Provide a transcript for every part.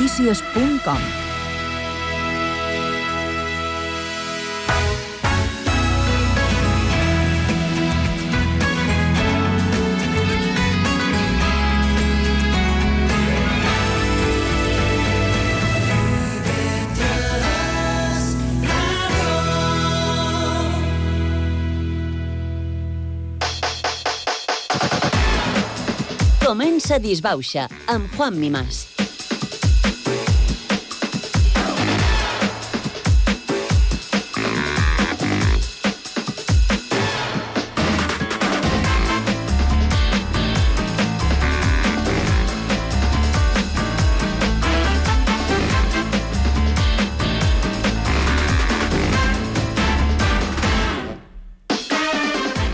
www.notícies.com. Comença Disbauxa, amb Juan Mimás.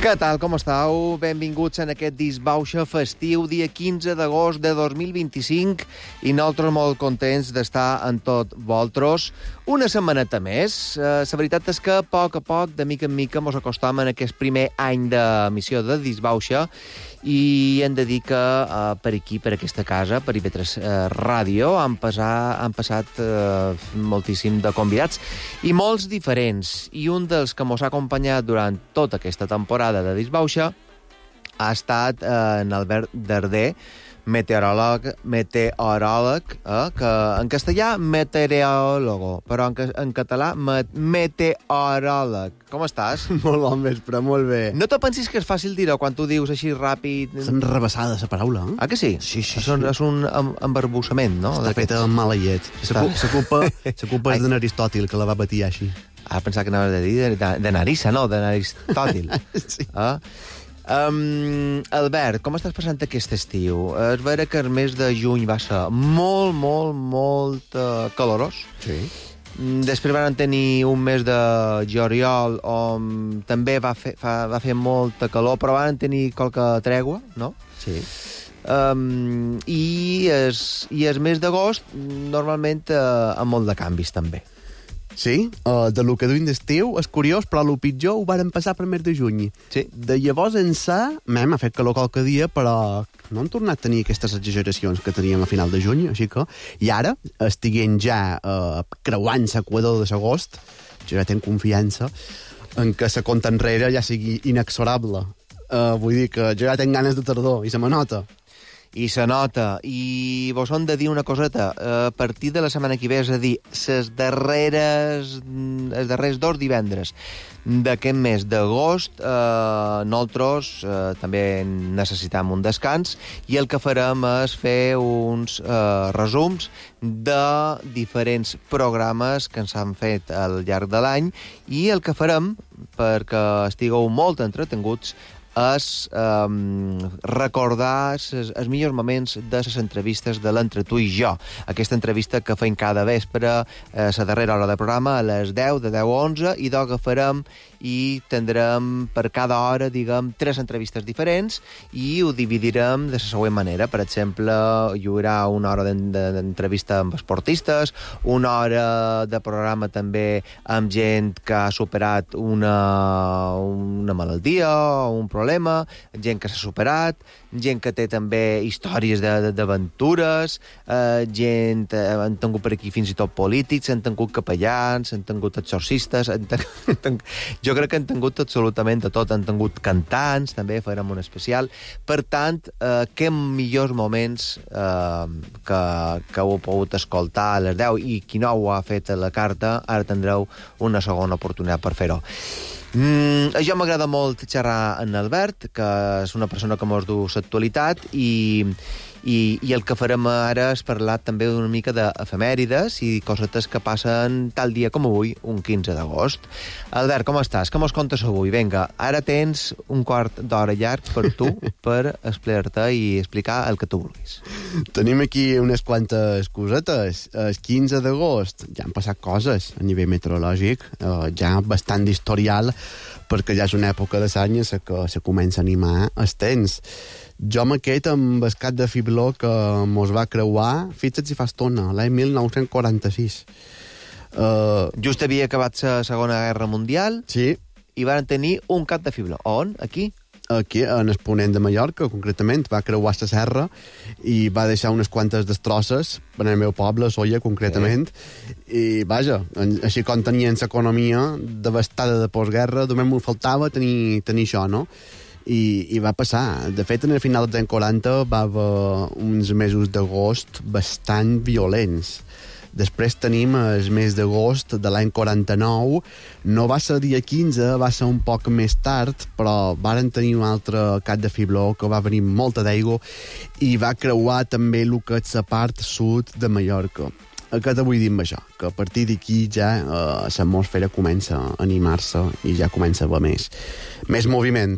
Què tal, com estàu? Benvinguts en aquest Disbauxa festiu, dia 15 d'agost de 2025, i nosaltres molt contents d'estar en tot vosaltres. Una setmaneta més. La veritat és que a poc, de mica en mica, mos acostam en aquest primer any d'emissió de Disbauxa, i hem de dir que per aquí, per aquesta casa, per IB3 Ràdio, han passat moltíssim de convidats, i molts diferents. I un dels que mos ha acompanyat durant tota aquesta temporada de Disbauxa ha estat en Albert Darder, meteoròleg, que en castellà meteoròlogo, però en català meteoròleg. Com estàs? Molt bon vespre, molt bé. No te pensis que és fàcil dir-ho quan tu dius així ràpid? És enrebaçada, la paraula, eh? Ah, que sí? Sí. És un embarbussament, no? Està feta amb mala llet. La culpa és d'Aristòtil, que la va batir així. Ah, pensava que anaves a dir de Narissa, no? De Aristòtil. Sí. Albert, com estàs passant aquest estiu? És vera que el mes de juny va ser molt calorós. Sí. Després van tenir un mes de juliol on també va fer molta calor, però van tenir qualque tregua, no? Sí. I el mes d'agost normalment amb molt de canvis també. Sí, de lo que duim d'estiu és curiós, però el pitjor ho varen passar per mes de juny. Sí. De llavors ençà, ha fet calor qualque dia, però no han tornat a tenir aquestes exageracions que teníem a final de juny, així que... I ara, estiguent ja creuant l'equador de l'agost, jo ja tenc confiança en que la compta enrere ja sigui inexorable. Vull dir que jo ja tenc ganes de tardor, i se me nota. I se nota. I vos hem de dir una coseta. A partir de la setmana que ve, és a dir, els darrers 2 divendres d'aquest mes d'agost, nosaltres també necessitam un descans, i el que farem és fer uns resums de diferents programes que ens han fet al llarg de l'any, i el que farem, perquè estigueu molt entretinguts, és recordar els millors moments de les entrevistes de l'Entre tu i jo. Aquesta entrevista que fem cada vespre, la darrera hora de programa, a les 10, de 10 a 11, i d'agafarem i tindrem per cada hora, diguem, 3 entrevistes diferents, i ho dividirem de la següent manera. Per exemple, hi haurà una hora d'entrevista amb esportistes, una hora de programa també amb gent que ha superat una malaltia o un problema, gent que s'ha superat, gent que té també històries d'aventures, han tingut per aquí fins i tot polítics, han tingut capellans, han tingut exorcistes, jo crec que han tingut absolutament de tot, han tingut cantants, també farem un especial. Per tant, que millors moments que heu pogut escoltar a les 10, i qui no ho ha fet a la carta, ara tindreu una segona oportunitat per fer-ho. A jo m'agrada molt xerrar amb Albert, que és una persona que mos du l'actualitat, i el que farem ara és parlar també una mica d'efemèrides i cosetes que passen tal dia com avui, un 15 d'agost. Albert, com estàs? Com mos contes avui? Vinga, ara tens un quart d'hora llarg per tu per explicar-te i explicar el que tu vulguis. Tenim aquí unes quantes cosetes. El 15 d'agost ja han passat coses a nivell meteorològic, ja bastant d'historial, perquè ja és una època de l'any en què se comença a animar el temps. Jo m'aquest amb el cap de fibló que mos va creuar, fixa't si fa estona, l'any 1946. Just havia acabat la Segona Guerra Mundial, sí, i van tenir un cap de fibló. On? Aquí? aquí, en el ponent de Mallorca, concretament, va creuar la serra i va deixar unes quantes destrosses en el meu poble, Solla, concretament, i, vaja, així com tenien l'economia devastada de postguerra, només m'ho faltava tenir això, no? I va passar. De fet, en el final dels anys 40 va haver uns mesos d'agost bastant violents. Després tenim el mes d'agost de l'any 49. No va ser dia 15, va ser un poc més tard, però varen tenir un altre cap de fibló que va venir molta d'aigua i va creuar també el que és la part sud de Mallorca. Què te vull dir amb això? Que a partir d'aquí ja l'atmosfera comença a animar-se i ja comença a haver més moviment.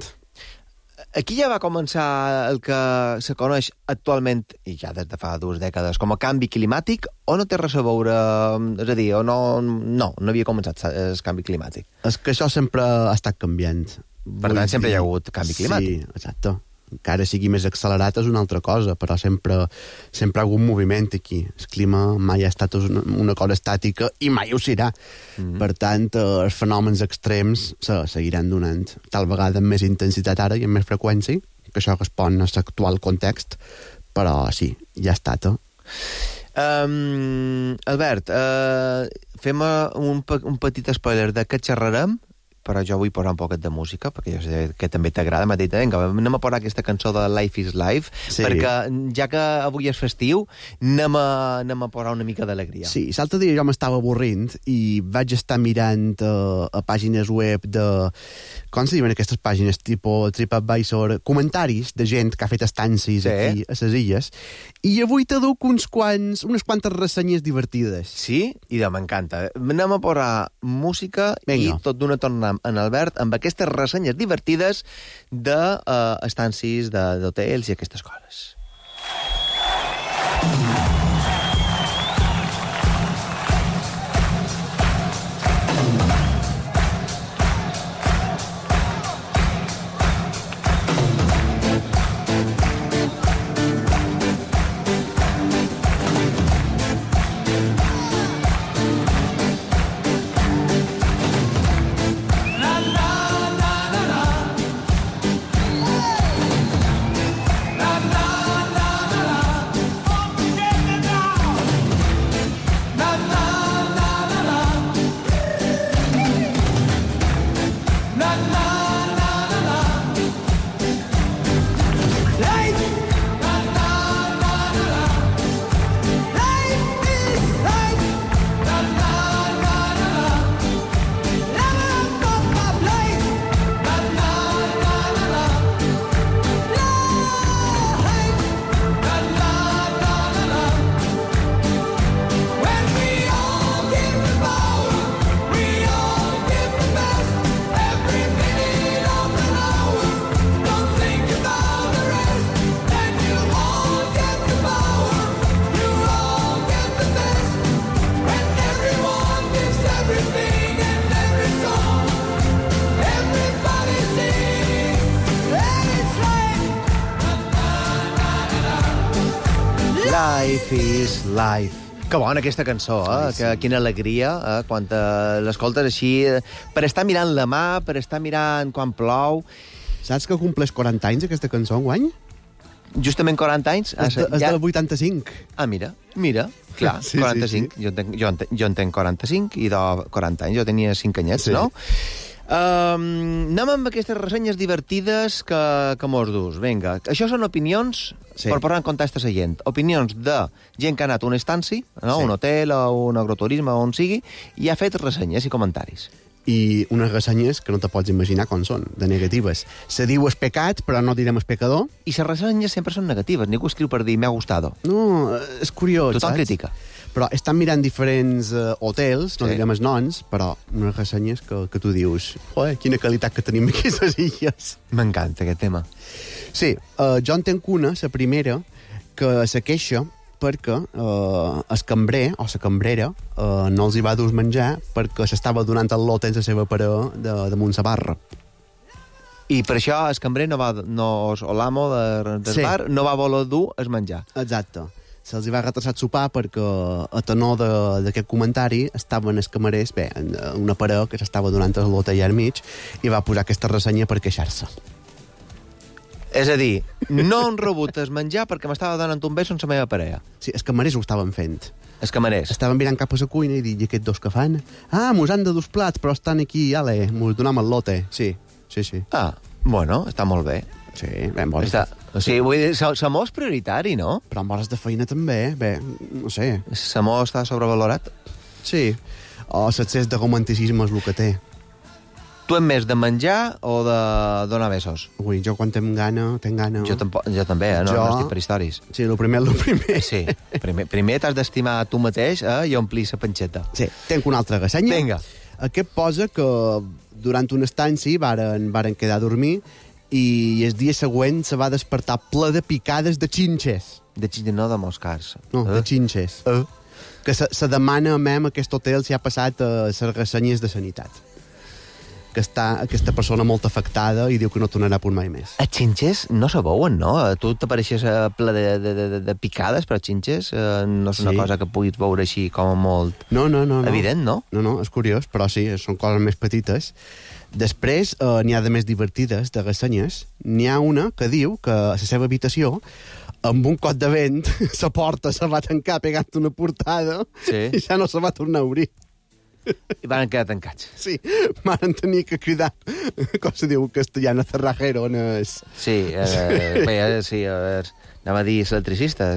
Aquí ja va començar el que se coneix actualment, i ja des de fa 2 dècades, com a canvi climàtic, o no té res a veure... És a dir, o no havia començat el canvi climàtic? És que això sempre ha estat canviant. Per tant, sempre hi ha hagut canvi climàtic. Sí, exacte. Encara sigui més accelerat és una altra cosa, però sempre hi ha hagut moviment aquí. El clima mai ha estat una cosa estàtica i mai ho serà. Per tant, els fenòmens extrems se seguiran donant tal vegada amb més intensitat ara i amb més freqüència, que això respon a l'actual context, però sí, ja ha estat. Albert, fem un petit spoiler de què xerrarem, però jo vull posar un poquet de música, perquè jo sé que també t'agrada. M'ha dit, vinga, anem a posar aquesta cançó de Life is Life, perquè ja que avui és festiu, anem a posar una mica d'alegria. Sí, l'altre dia jo m'estava avorrint i vaig estar mirant a pàgines web de... Com se diuen aquestes pàgines? Tipo TripAdvisor, comentaris de gent que ha fet estancis aquí a les illes, i avui t'aduc unes quantes ressenyes divertides. Sí? Idò, m'encanta. Anem a posar música i tot d'una tornada en Albert amb aquestes ressenyes divertides d'estancis, d'hotels i aquestes coses. Life is Life. Que bona aquesta cançó, quina alegria, quan l'escoltes així, per estar mirant la mà, per estar mirant quan plou. Saps que compleix 40 anys aquesta cançó enguany? Justament 40 anys? És del 85. Mira, clar, sí, 45. Sí. Jo en tenc 45 i de 40 anys, jo tenia 5 anyets, sí. No? Anem amb aquestes ressenyes divertides que mos dus. Vinga, això són opinions, per posar en contexte la gent. Opinions de gent que ha anat a un estanci, no? Un hotel o un agroturisme, on sigui, i ha fet ressenyes i comentaris. I unes ressenyes que no te pots imaginar com són, de negatives. Se diu es pecat, però no direm es pecador. I les ressenyes sempre són negatives. Ningú escriu per dir m'ha gustado. No, és curiós, tothom critica. Però estan mirant diferents hotels, no direm els noms, però unes ressenyes que tu dius, joder, quina qualitat que tenim aquí a les illes. M'encanta aquest tema. Sí, jo en tenc una, la primera, que se queixa perquè el cambrer o la cambrera no els hi va dur menjar perquè s'estava donant el lot en la seva parella damunt la barra. I per això el cambrer o l'amo del bar no va voler dur el menjar. Exacte. Se'ls hi va retrasar el sopar perquè a tenor d'aquest comentari estaven els camarers, una parella que s'estava donant el lot allà al mig i va posar aquesta ressenya per queixar-se. És a dir, no han rebut el menjar perquè m'estava donant un bes sense la meva parella. Sí, els camarers ho estaven fent. Els camarers. Estaven mirant cap a la cuina i dic, i aquests dos que fan? Ah, mos han de dos plats, però estan aquí, ale, mos donem el lote. Sí. Ah, bueno, està molt bé. Sí, bé, en hores... O sigui, vull dir, l'amor és prioritari, no? Però en hores de feina també, bé, no sé. L'amor està sobrevalorat? Sí, o l'excés de romanticisme és el que té. Tu ets més de menjar o de donar besos? Ui, jo quan tinc gana... Jo també, no estic per històries. Sí, el primer. Sí, primer t'has d'estimar tu mateix i omplir la panxeta. Sí, tinc una altra ressenya. Vinga. Aquest posa que durant una estanci varen quedar a dormir i el dia següent se va despertar ple de picades de xinxes. De xinxes, no de moscars. No, de xinxes. Que se demana a aquest hotel si ha passat a les ressenyes de sanitat. Que està aquesta persona molt afectada i diu que no tornarà per mai més. Els xinxes no se veuen, no? Tu t'apareixes ple de picades, però xinxes no és una cosa que puguis veure així com molt... No. Evident, no? No, és curiós, però sí, són coses més petites. Després, n'hi ha de més divertides, de ressenyes. N'hi ha una que diu que a la seva habitació, amb un cot de vent, la porta se va tancar pegant una portada i ja no se va tornar a obrir. I van quedar tancats. Sí, van tenir que cridar, com se diu en castellà, cerrajero. Sí, sí, anava a dir l'electricista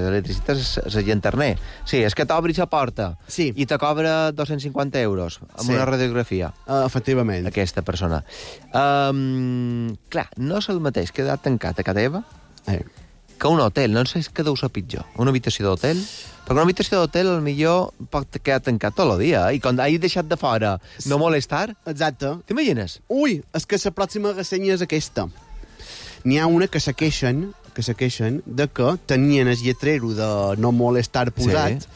és el llanterner. Sí, és que t'obris la porta i te cobra 250 euros amb una radiografia. Efectivament. Aquesta persona. Clar, no és el mateix quedar tancat a casa teva que un hotel. No sé què deu ser pitjor. Una habitació d'hotel? Perquè una habitació d'hotel potser pot quedar tancat tot el dia i quan hagis deixat de fora no molestar... Exacte. T'imagines? Ui, és que la pròxima ressenya és aquesta. N'hi ha una que se queixen de que tenien el lletrero de no molestar posat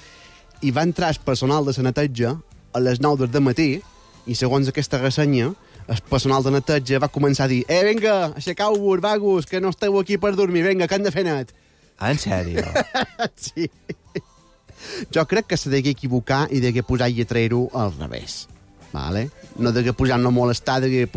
i va entrar el personal de la neteja a les 9 del matí i segons aquesta ressenya el personal de neteja va començar a dir vinga, aixecau-vos, vagos, que no esteu aquí per dormir, vinga, que han de fer net. Ah, en sèrio? Sí. Jo crec que se degué equivocar i degué posar lletrero al revés. Vale? No degué posar no molestar, degué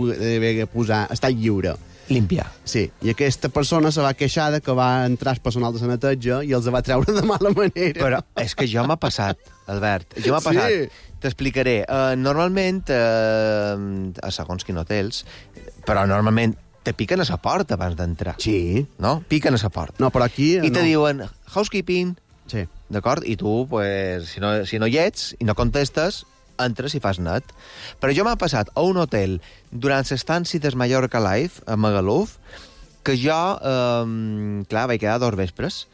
posar estar lliure. Limpia. Sí, i aquesta persona se va queixar de que va entrar el personal de la neteja i els va treure de mala manera. Però és que jo m'ha passat, Albert. Jo m'ha passat. Sí. T'explicaré. Normalment, a segons quin hotels, però normalment te piquen a la porta abans d'entrar. Sí. No? Piquen a la porta. No, però aquí... I te diuen, housekeeping. Sí. D'acord? I tu, pues, si no hi ets i no contestes, entres i fas net. Però jo m'ha passat a un hotel durant l'estància del Mallorca Live, a Magaluf, que jo, clar, vaig quedar 2 vespres,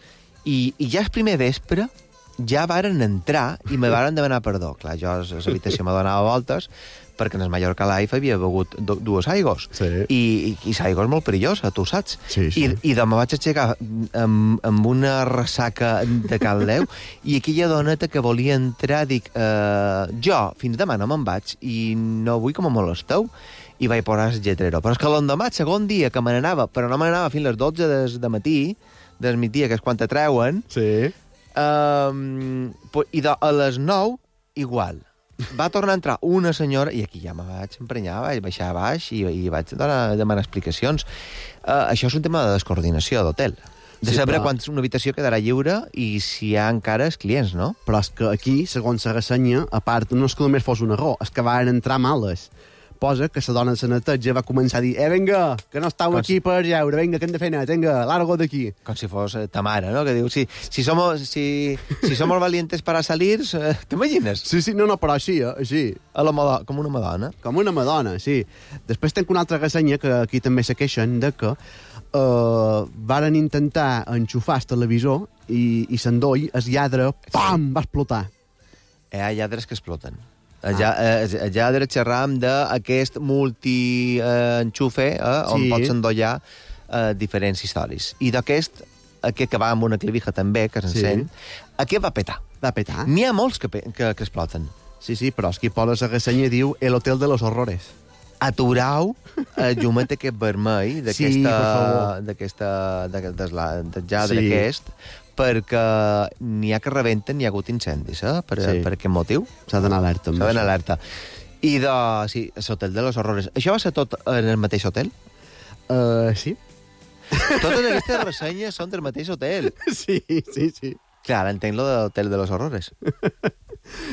i ja el primer vespre ja varen entrar i me varen demanar perdó. Clar, jo a l'habitació me donava voltes perquè en el Mallorca Live havia begut 2 aigos. Sí. I l'aigua és molt perillosa, tu saps? Sí. I me vaig aixecar amb una ressaca de cal Déu i aquella doneta que volia entrar dic, jo fins demà no me'n vaig i no vull que me molesteu i vaig posar el lletrero. Però és que l'endemà, el segon dia que me n'anava, però no me n'anava fins les 12 de matí, del migdia, que és quan te treuen, sí. I a les 9, igual. Va tornar a entrar una senyora, i aquí ja me vaig emprenyar, vaig baixar a baix i vaig demanar explicacions. Això és un tema de descoordinació d'hotel. De saber quan una habitació quedarà lliure i si hi ha encara els clients, no? Però és que aquí, segons la ressenya, a part, no és que només fos un error, és que van entrar males. Posa que la dona de la neteja va començar a dir vinga, que no estàu aquí per jeure, vinga, que hem de fer net, vinga, largo d'aquí. Com si fos ta mare, no? Que diu, si somos valientes para salir, t'imagines? Sí, no, però així, així. Com una madona. Com una madona, sí. Després tenc una altra ressenya que aquí també se queixen de que varen intentar enxufar el televisor i l'endoll, el lladre, pam, va explotar. Hi ha lladres que exploten. Ja xerràvem d'aquest multi-enxufe on pots endollar diferents històries. I d'aquest, que va amb una clavija també, que s'encén, aquest va petar. Va petar? N'hi ha molts que exploten. Sí, però és que posa la ressenya diu El hotel de los horrores. Aturau el llumet aquest vermell del lladre aquest, perquè n'hi ha que rebenten, hi ha hagut incendis, per aquest motiu. S'ha d'anar alerta. S'ha d'anar alerta. I l'hotel de los horrores. Això va ser tot en el mateix hotel? Sí. Totes aquestes ressenyes són del mateix hotel. Sí. Clar, ara entenc lo de l'Hotel de los Horrores.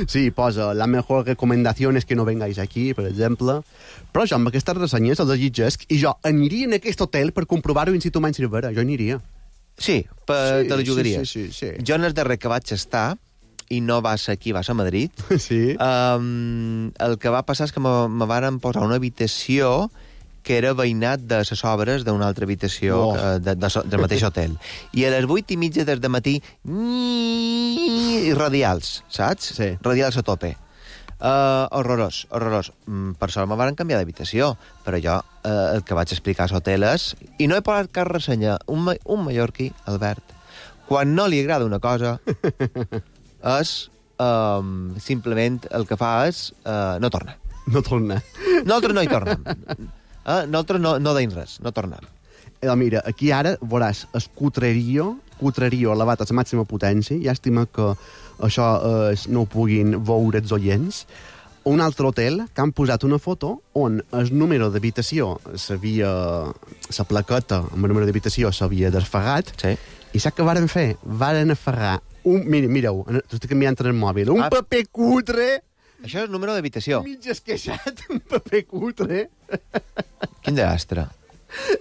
Sí, posa, la mejor recomendación es que no vengáis aquí, per exemple. Però jo amb aquestes ressenyes els llegesc i jo aniria en aquest hotel per comprovar-ho in situ mai Cervera. Jo aniria. Sí, te la jugaries. Sí. Jo en el darrer que vaig estar, i no va ser aquí, va ser a Madrid, Sí. el que va passar és que me varen posar una habitació que era veïnat de les obres d'una altra habitació del mateix hotel. I a les 8:30 del matí, radials, saps? Sí. Radials a tope. Horrorós. Per sort me van canviar d'habitació, però jo el que vaig explicar a l'hotel és... I no he posat cap ressenya. Un mallorquí, Albert, quan no li agrada una cosa, és... simplement el que fa és... no torna. No torna. Nosaltres no hi tornem. Nosaltres no deim res, no tornem. Mira, aquí ara veuràs el cutrerio elevat a la màxima potència. Llàstima que això no ho puguin veure els oients. Un altre hotel que han posat una foto on el número d'habitació la plaqueta amb el número d'habitació s'havia desfagat. Sí. I saps què varen fer? Varen aferrar mireu, t'ho estic canviant en el mòbil. Un paper cutre... Això és el número d'habitació. Mig esqueixat, un paper cutre. Quin desastre.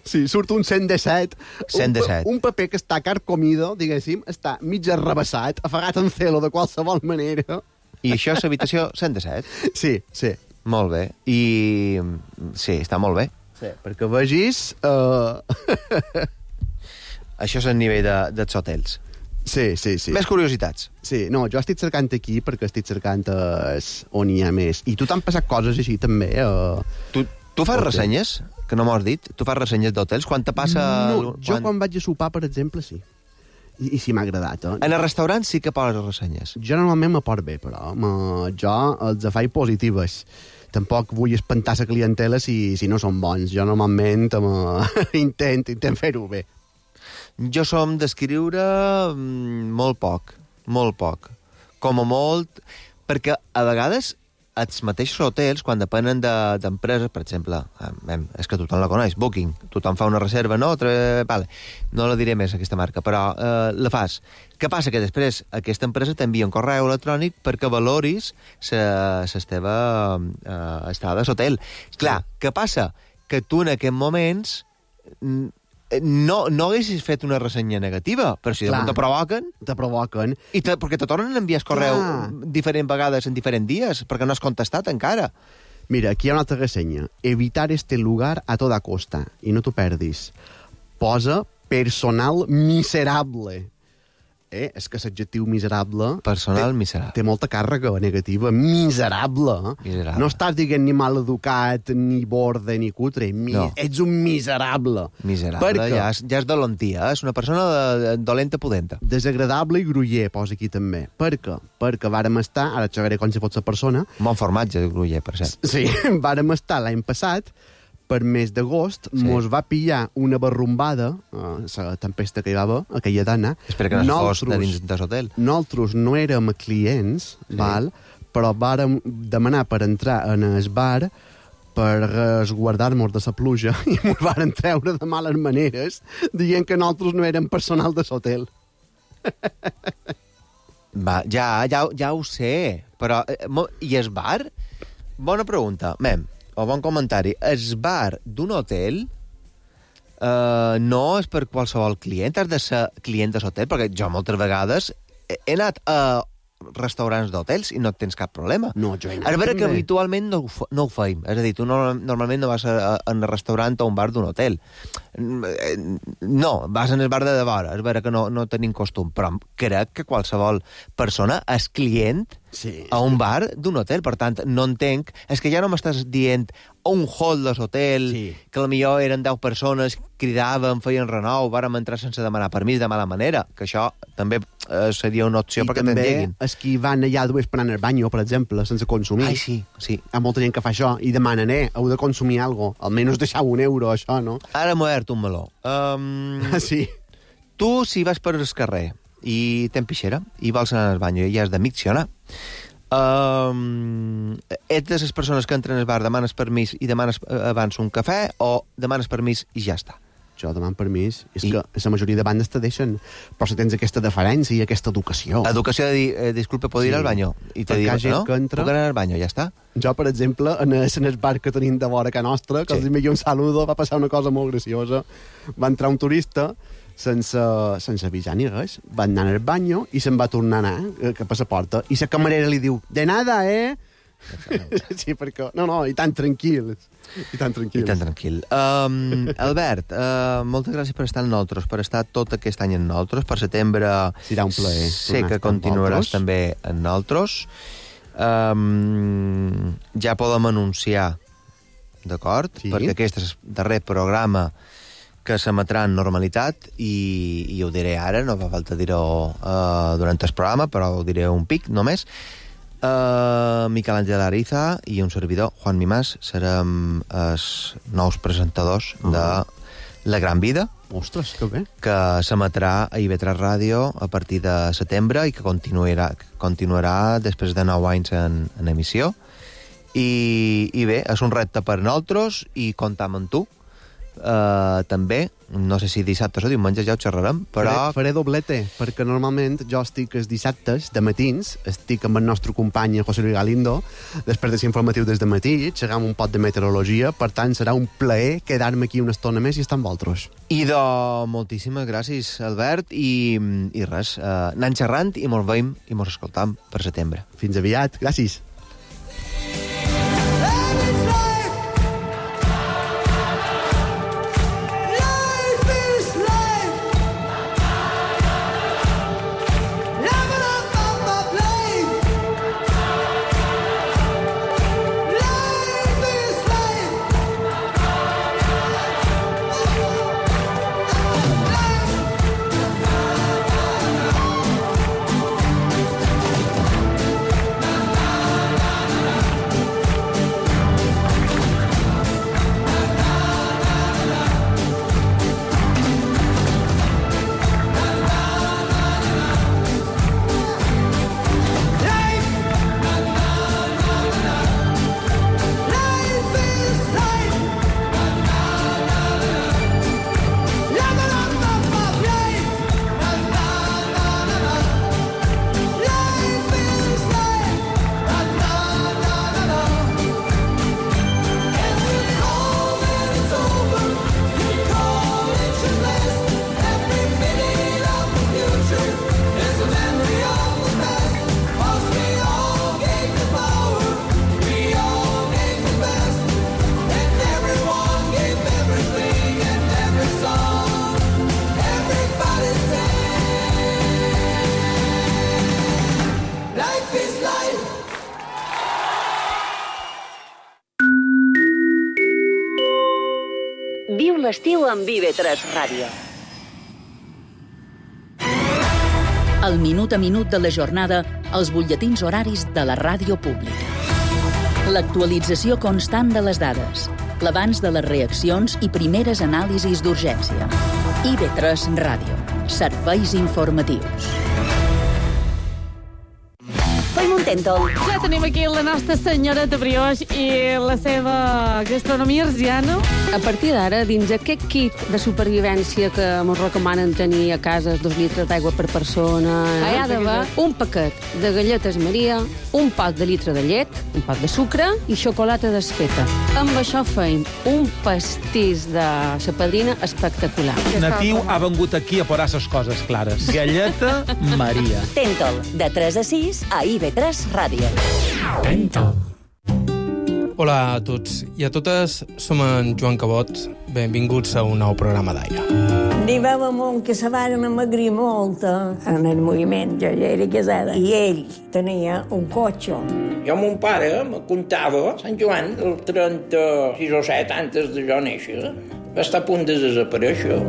Sí, surt un 117. 117. Un paper que està carcomido, diguéssim, està mig arrabassat, afagat en celo de qualsevol manera. I això és l'habitació 117? Sí. Molt bé. I... sí, està molt bé. Sí, perquè vegis... Això és el nivell dels hotels. Sí. Més curiositats. Sí, no, jo estic cercant aquí perquè estic cercant on hi ha més. I tu t'han passat coses així també? Tu fas ressenyes? Que no m'ho has dit. Tu fas ressenyes d'hotels? Quan te passa... No, jo quan vaig a sopar, per exemple, sí. I sí m'ha agradat, En el restaurant sí que poses ressenyes. Jo normalment me porto bé, però jo els faig positives. Tampoc vull espantar la clientela si no són bons. Jo normalment intent fer-ho bé. Jo som d'escriure molt poc. Com a molt... Perquè a vegades els mateixos hotels, quan depenen d'empreses, per exemple, és que tothom la coneix, Booking, tothom fa una reserva, no? Vale. No la diré més, aquesta marca, però la fas. Què passa? Que després aquesta empresa t'envia un correu electrònic perquè valoris la teva estada a l'hotel. Clar, què passa? Que tu en aquests moments... no haguessis fet una ressenya negativa, però si te provoquen... Te provoquen. Perquè te tornen a enviar el correu diferents vegades en diferents dies, perquè no has contestat encara. Mira, aquí hi ha una altra ressenya. Evitar este lugar a toda costa. I no t'ho perdis. Posa personal miserable. És que l'adjectiu miserable... Personal miserable. Té molta càrrega negativa. Miserable. No estàs dient ni mal educat, ni borde, ni cutre. No. Ets un miserable. Miserable, ja és dolentia. És una persona dolenta pudenta. Desagradable i gruller, posa aquí també. Per què? Perquè vàrem estar, ara xerraré com si fos la persona... Bon formatge, de gruller, per cert. Sí, vàrem estar l'any passat... per mes d'agost, mos va pillar una barrumbada, la tempesta que hi va haver, aquella dana. Espera que no fos de dins de l'hotel. Nosaltres no érem clients, val? Però vàrem demanar per entrar en el bar per resguardar-nos de la pluja i ens varen treure de males maneres dient que nosaltres no érem personal de l'hotel. Ja ho sé, però... I el bar? Bona pregunta. O bon comentari. El bar d'un hotel no és per qualsevol client, has de ser client de l'hotel, perquè jo moltes vegades he anat a restaurants d'hotels i no tens cap problema. No, jo he anat a veure que habitualment no ho feim. És a dir, tu normalment no vas a un restaurant o un bar d'un hotel. No, vas en el bar de vora. És veure que no tenim costum, però crec que qualsevol persona és client a un bar d'un hotel. Per tant, no entenc... És que ja no m'estàs dient un hall de l'hotel, que potser eren 10 persones, cridaven, feien renou, vàrem entrar sense demanar permís de mala manera, que això també seria una opció perquè t'endeguin. I també els que van allà esperant al banyo, per exemple, sense consumir. Ai, sí. Hi ha molta gent que fa això i demanen, heu de consumir alguna cosa, almenys deixar €1, això, no? Ara m'ho he obert un meló. Sí. Tu, si vas per el carrer i tens pixera i vols anar al banyo i has de miccionar, ets de les persones que entren al bar, demanes permís i demanes abans un cafè o demanes permís i ja està? jo demano permís. És que la majoria de bandes te deixen, però si tens aquesta deferència i aquesta educació. Educació de dir, disculpe, ¿puedo ir al baño? I te diuen, no? Puc anar al baño, ja està. Jo, per exemple, en el bar que tenim de vora a nostra, que els envia un saludo, va passar una cosa molt graciosa. Va entrar un turista sense avisar ni res, va anar al baño i se'n va tornar a anar cap a la porta, i la camarera li diu, de nada, Sí, perquè... No, i tan tranquils. I tan tranquil. Albert, moltes gràcies per estar amb nosaltres, per estar tot aquest any amb nosaltres. Per setembre serà un plaer. Sé que continuaràs també amb nosaltres. Ja podem anunciar, d'acord? Sí. Perquè aquest és el darrer programa que s'emetrà en normalitat i ho diré ara, no fa falta dir-ho durant el programa, però ho diré un pic només. Miquel Àngel Ariza i un servidor, Juan Mimàs, serem els nous presentadors de La Gran Vida. Ostres, que bé. Que s'emetrà a IB3 Ràdio a partir de setembre i que continuarà després de 9 anys en emissió. I bé, és un repte per nosaltres i comptam amb tu. També, no sé si dissabtes o diumenges ja ho xerrarem, però... Faré doblete, perquè normalment jo estic els dissabtes de matins, estic amb el nostre company José Luis Galindo, després de ser informatiu des de matí, xerram un pot de meteorologia, per tant serà un plaer quedar-me aquí una estona més i estar amb vosaltres. I moltíssimes gràcies, Albert, i res, anem xerrant i mos veiem i mos escoltam per setembre. Fins aviat, gràcies. Viu l'estiu amb IB3 Ràdio. El minut a minut de la jornada, els butlletins horaris de la ràdio pública. L'actualització constant de les dades, l'abans de les reaccions i primeres anàlisis d'urgència. IB3 Ràdio. Serveis informatius. Fem un tèntol. Ja tenim aquí la nostra senyoreta Brioix i la seva gastronomia arsiana. A partir d'ara, dins aquest kit de supervivència que ens recomanen tenir a casa 2 litres d'aigua per persona, hi ha d'haver un paquet de galletes Maria, un pot de litre de llet, un pot de sucre i xocolata desfeta. Amb això feim un pastís de sa padrina espectacular. Natiu ha vengut aquí a posar les coses clares. Galleta Maria. Tèntol, de 3 a 6 a IB3 Ràdio. Tèntol. Hola a tots i a totes, som en Joan Cabot. Benvinguts a un nou programa d'Aire. N'hi va un que se van amagrir molt en el moviment. Jo ja era casada i ell tenia un cotxe. Jo, mon pare, me contava, Sant Joan, el 36 o 7 antes de jo néixer, va estar a punt de desaparèixer.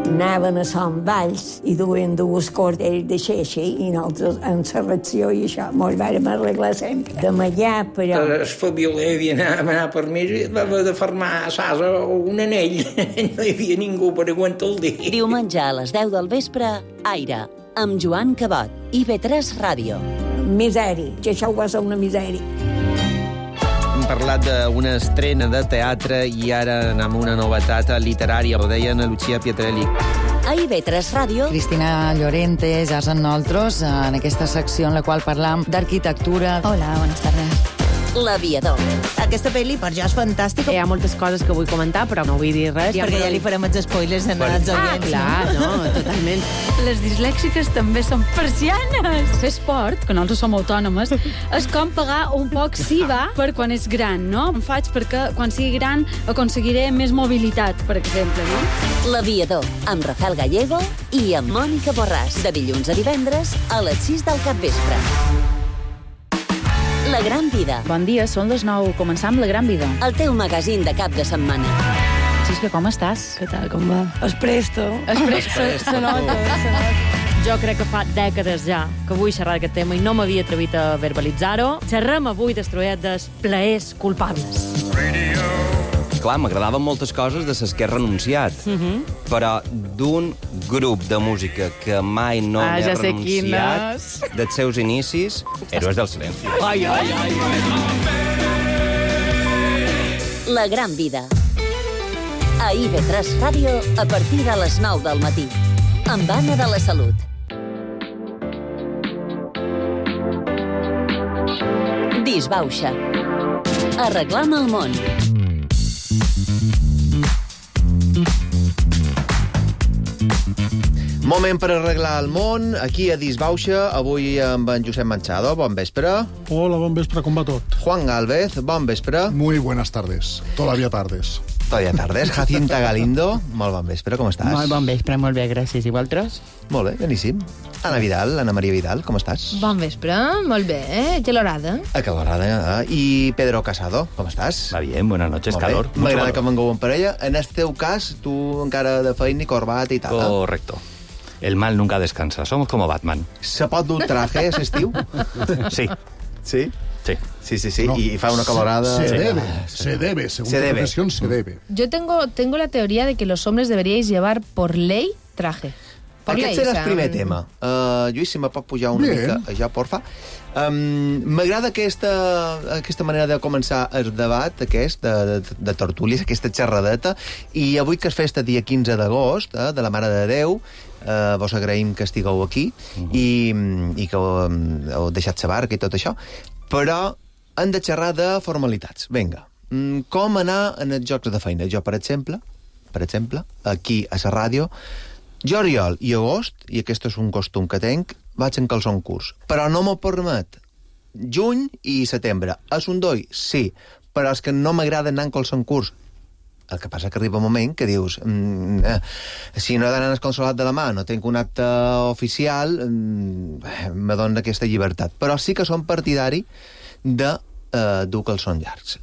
Anaven a Sant Valls i duien 2 cordells de xeixa i nosaltres en la reacció i això mos vàrem arreglar sempre. De allà, però... El Fabioler havia anat per mi i va haver de fermar a Sasa un anell. No hi havia ningú per aguantar el dia. Diumenge a les 10 del vespre, Aire, amb Joan Cabot, IB3 Ràdio. Misèria, que això va ser una misèria. parlat d'una estrena de teatre i ara anem a una novetat literària. Ho deia Ana Lucía Pietrelli. A IB3 Ràdio, Cristina Llorente, ja és amb nosaltres, en aquesta secció en la qual parlam d'arquitectura. Hola, buenas tardes. L'Aviador. Aquesta pel·li per jo és fantàstica. Hi ha moltes coses que vull comentar, però no vull dir res. Perquè ja li farem els spoilers en els oients. Clar, no, totalment. Les dislèxiques també són persianes. Fer esport, que nosaltres som autònomes, és com pagar un poc SIVA per quan és gran, no? Em faig perquè quan sigui gran aconseguiré més mobilitat, per exemple, no? L'Aviador, amb Rafael Gallego i amb Mònica Borràs, de dilluns a divendres a les 6 del capvespre. La Gran Vida. Bon dia, són les 9. Començam La Gran Vida. El teu magazín de cap de setmana. Xisca, com estàs? Què tal, com va? Es presto. Se nota. Jo crec que fa dècades ja que vull xerrar d'aquest tema i no m'havia atrevit a verbalitzar-ho. Xerrem avui d'estruet dels plaers culpables. Clar, m'agradaven moltes coses de les que he renunciat, però d'un grup de música que mai no m'he ja sé renunciat, dels seus inicis, Héroes del Silenci. Ai. La Gran Vida. A IB3 Ràdio a partir de les 9 del matí. Amb Anna de la Salut. Disbauxa. Arreglant el món. Moment per arreglar el món, aquí a Disbauxa, avui amb en Josep Manchado. Bon vespre. Hola, bon vespre, com va tot? Juan Gálvez, bon vespre. Muy buenas tardes, todavía tardes. Todavía tardes. Jacinta Galindo, molt bon vespre, com estàs? Molt bon vespre, molt bé, gràcies. I vosaltres? Molt bé, beníssim. Ana Vidal, Ana Maria Vidal, com estàs? Bon vespre, molt bé, calorada. Calorada. I Pedro Casado, com estàs? Va bien, buenas noches, calor. M'agrada que vengueu en parella. En el teu cas, tu encara de feina i corbata i tal. Correcto. El mal nunca descansa. Somos como Batman. Se pot dur traje a l'estiu? Sí. Sí? Sí. No, y fa una calorada. Se debe, según tu profesión, se debe. Yo tengo la teoría de que los hombres deberíais llevar por ley traje. Aquest serà el primer tema. Lluís, si me pot pujar una mica, ja, porfa. M'agrada aquesta manera de començar el debat aquest de tertúlies, aquesta xerradeta, i avui que és festa dia 15 d'agost, de la Mare de Déu, vos agraïm que estigueu aquí i que heu deixat la barca i tot això, però hem de xerrar de formalitats. Vinga, com anar en els jocs de feina? Jo, per exemple, aquí a la ràdio, juliol i agost, i aquest és un costum que tenc, vaig en calçon curts. Però no m'ho permet juny i setembre. És un doi? Sí. Però és que no m'agrada anar en calçon curts. El que passa que arriba un moment que dius si no he d'anar al consolat de la mà, no tinc un acte oficial, me dona aquesta llibertat. Però sí que som partidari de dur calçons llargs.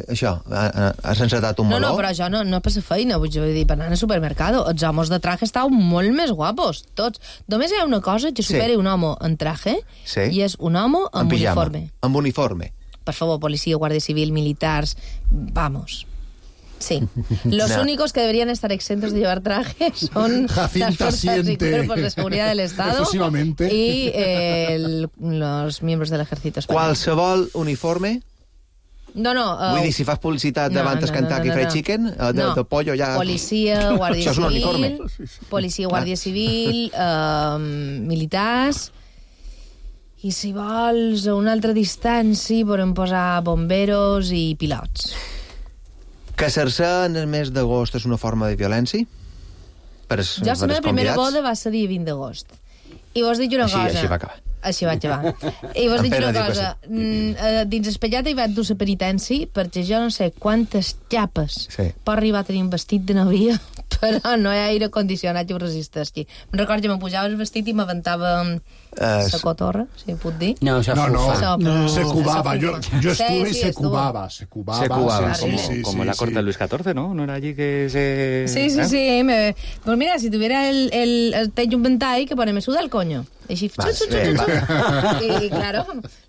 Això, has encetat un meló? No, però això no per la feina, vull dir, per anar al supermercat. Els homes de traje estan molt més guapos, tots. Només hi ha una cosa que superi un home en traje, i és un home amb uniforme. Amb uniforme. Per favor, policia, guàrdia civil, militars, vamos. Sí. Los únicos que deberían estar exentos de llevar traje son las fuerzas y cuerpos de seguridad del Estado y los miembros del ejército español. Qualsevol uniforme? No. Vull dir, si fas publicitat davant el Kentucky Fried Chicken, de pollo ja... Policia, guàrdia civil, policia, guàrdia civil, militars... I si vols a una altra distància podem posar bomberos i pilots. Casar-se en el mes d'agost és una forma de violència? Jo la meva primera boda va ser dia 20 d'agost. I vos dic una cosa... Així va acabar. Així vaig acabar. I vos dic una cosa. Dins Espellat hi vaig dur la penitència perquè jo no sé quantes xapes pot arribar a tenir un vestit de novia, però no hi ha aire condicionat que ho resisteixi. Me'n recordo que me pujava el vestit i m'aventava la cotorra, si puc dir. No, se cubaba. Yo estuve y se cubaba. Como la corte de Luis XIV, ¿no? ¿No era allí que se...? Sí. Pues mira, si tuviera el techo un ventall que pone me suda el coño. Així, i, claro,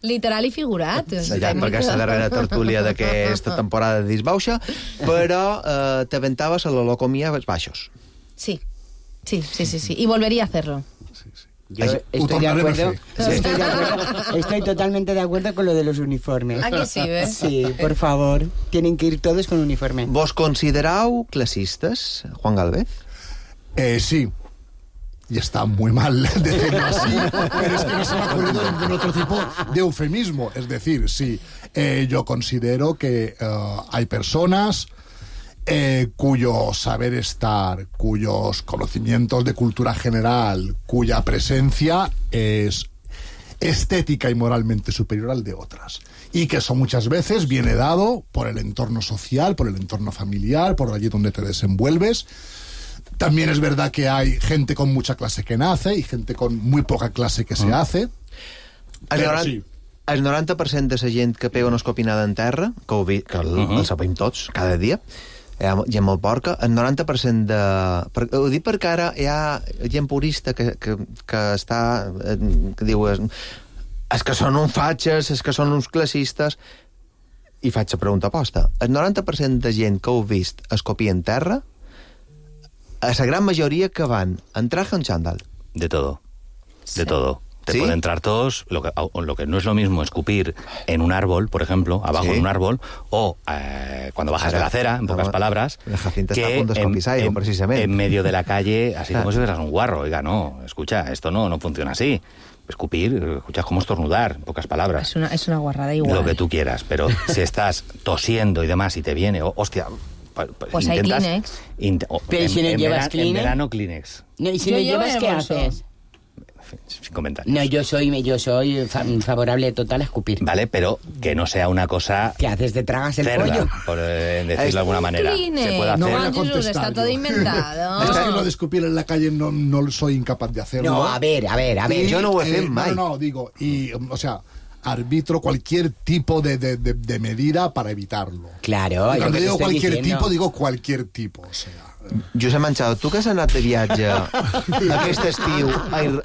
literal i figurat. Ja, perquè és la darrera tertúlia d'aquesta temporada de Disbauxa, però t'aventaves a la locomia als baixos. Sí, y volvería a hacerlo. Yo estoy totalmente de acuerdo con lo de los uniformes. ¿A que sí, ves? Sí, por favor, tienen que ir todos con uniforme. Vos considerau classistes, Juan Galvez? Sí. Y está muy mal decirlo así, pero es que no se me ha ocurrido ningún otro tipo de eufemismo. Es decir, sí, yo considero que hay personas cuyo saber estar, cuyos conocimientos de cultura general, cuya presencia es estética y moralmente superior al de otras. Y que eso muchas veces viene dado por el entorno social, por el entorno familiar, por allí donde te desenvuelves. También es verdad que hay gente con mucha clase que nace y gente con muy poca clase que se hace. El 90% de la gent que pega una escopinada en terra, que el sabem tots, cada dia, gent molt porca, el 90% de... Ho dic perquè ara hi ha gent purista que està... que diu... És que són uns fatxes, és que són uns classistes... I faig la pregunta posta. El 90% de gent que heu vist escopir en terra, a la gran mayoría que van en traje o en chándal. De todo. Sí. De todo. Te pueden entrar todos. Lo que no es lo mismo escupir en un árbol, por ejemplo, abajo de un árbol, o cuando bajas de la acera, en pocas palabras, que en medio de la calle, así como si fueras un guarro. Oiga, no, escucha, esto no funciona así. Escupir, escuchas como estornudar, en pocas palabras. Es una guarrada igual. Lo que tú quieras, pero si estás tosiendo y demás y te viene, hostia... Pues hay Kleenex. Pero si no llevas Kleenex... En verano, Kleenex. No, y si no llevas, ¿qué haces? Sin comentarios. No, yo soy favorable total a escupir. Vale, pero que no sea una cosa... ¿Qué haces? ¿Te tragas el cerda, pollo? Por decirlo de alguna manera. Kleenex. Se puede hacer... No, Jesús, está todo inventado. Es que lo de escupir en la calle no soy incapaz de hacerlo. No, a ver. Yo no ho he fet mai. No, digo, y, o sea... arbitro cualquier tipo de medida para evitarlo. Claro. Y cuando digo cualquier tipo, digo cualquier tipo. O sea, Josep Manchado, tu que has anat de viatge aquest estiu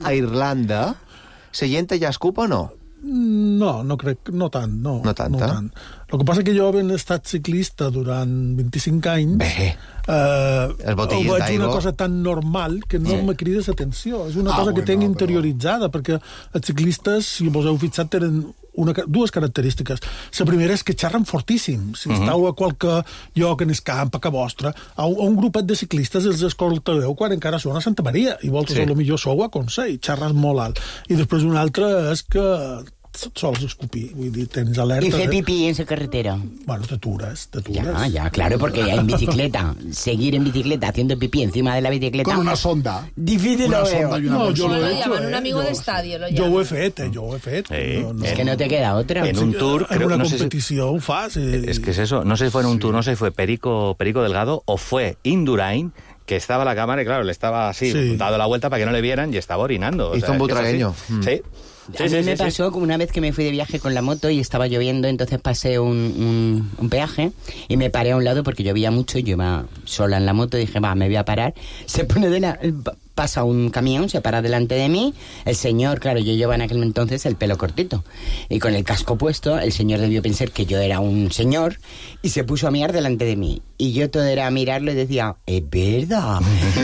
a Irlanda, la gent allà escupa o no? No crec, no tant. No tant. El que passa que jo, havent estat ciclista durant 25 anys, ho veig una cosa tan normal que no me crida l'atenció. És una cosa que tenc interioritzada, perquè els ciclistes, si vos heu fixat, tenen dues característiques. La primera és que xerren fortíssim. Si esteu a qualque lloc en el camp, a casa vostra, a un grupet de ciclistes els escoltareu quan encara són a Santa Maria, i vosaltres potser sou a Consell, xerres molt alt. I després una altra és que sols escupir, vull dir, tens alerta... Y hacer pipí en la carretera. Bueno, te atures. Ya, claro, porque en bicicleta, seguir en bicicleta haciendo pipí encima de la bicicleta... Con una sonda. Difícil lo veo. No, yo lo he hecho. Llaman un amigo de estadio, lo llaman. Jo ho he fet. Es que no te queda otra. En un tour... En una competició ho fas. Es que es eso, no sé si fue en un tour, no sé si fue Perico Delgado o fue Indurain, que estaba la cámara y claro, le estaba así, dado la vuelta para que no le vieran y estaba orinando. Hizo un butragueño. Sí. A mí me pasó como una vez que me fui de viaje con la moto y estaba lloviendo, entonces pasé un peaje y me paré a un lado porque llovía mucho, yo iba sola en la moto, dije, me voy a parar. Se pone pasa un camión, se para delante de mí, el señor, claro, yo llevaba en aquel entonces el pelo cortito y con el casco puesto, el señor debió pensar que yo era un señor y se puso a mirar delante de mí y yo todo era mirarlo y decía, es verdad,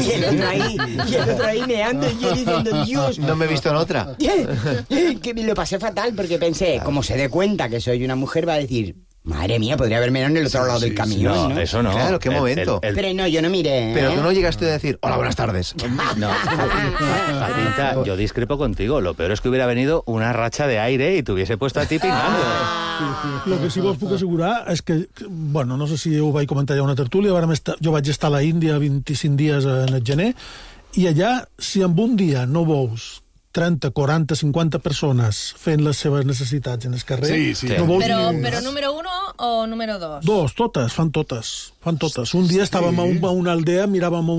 y el otro ahí meando y yo diciendo, Dios, no me he visto en otra. Que lo pasé fatal porque pensé, como se dé cuenta que soy una mujer, va a decir, madre mía, podría haberme en el otro lado del camión. No, eso no. Claro, qué momento. Pero no, yo no miré. Pero tú no llegaste a decir, hola, buenas tardes. No, Jacinta, yo discrepo contigo. Lo peor es que hubiera venido una racha de aire y te hubiese puesto a ti pingando. Lo que sí vos puc assegurar és que, bueno, no sé si ho vaig comentar ja a una tertúlia, jo vaig estar a la Índia 25 dies en el gener, i allà, si en un dia no veus 30, 40, 50 persones fent les seves necessitats en el carrer... No però número 1 o número 2? Dos, fan totes. Un dia estàvem a una aldea, miràvem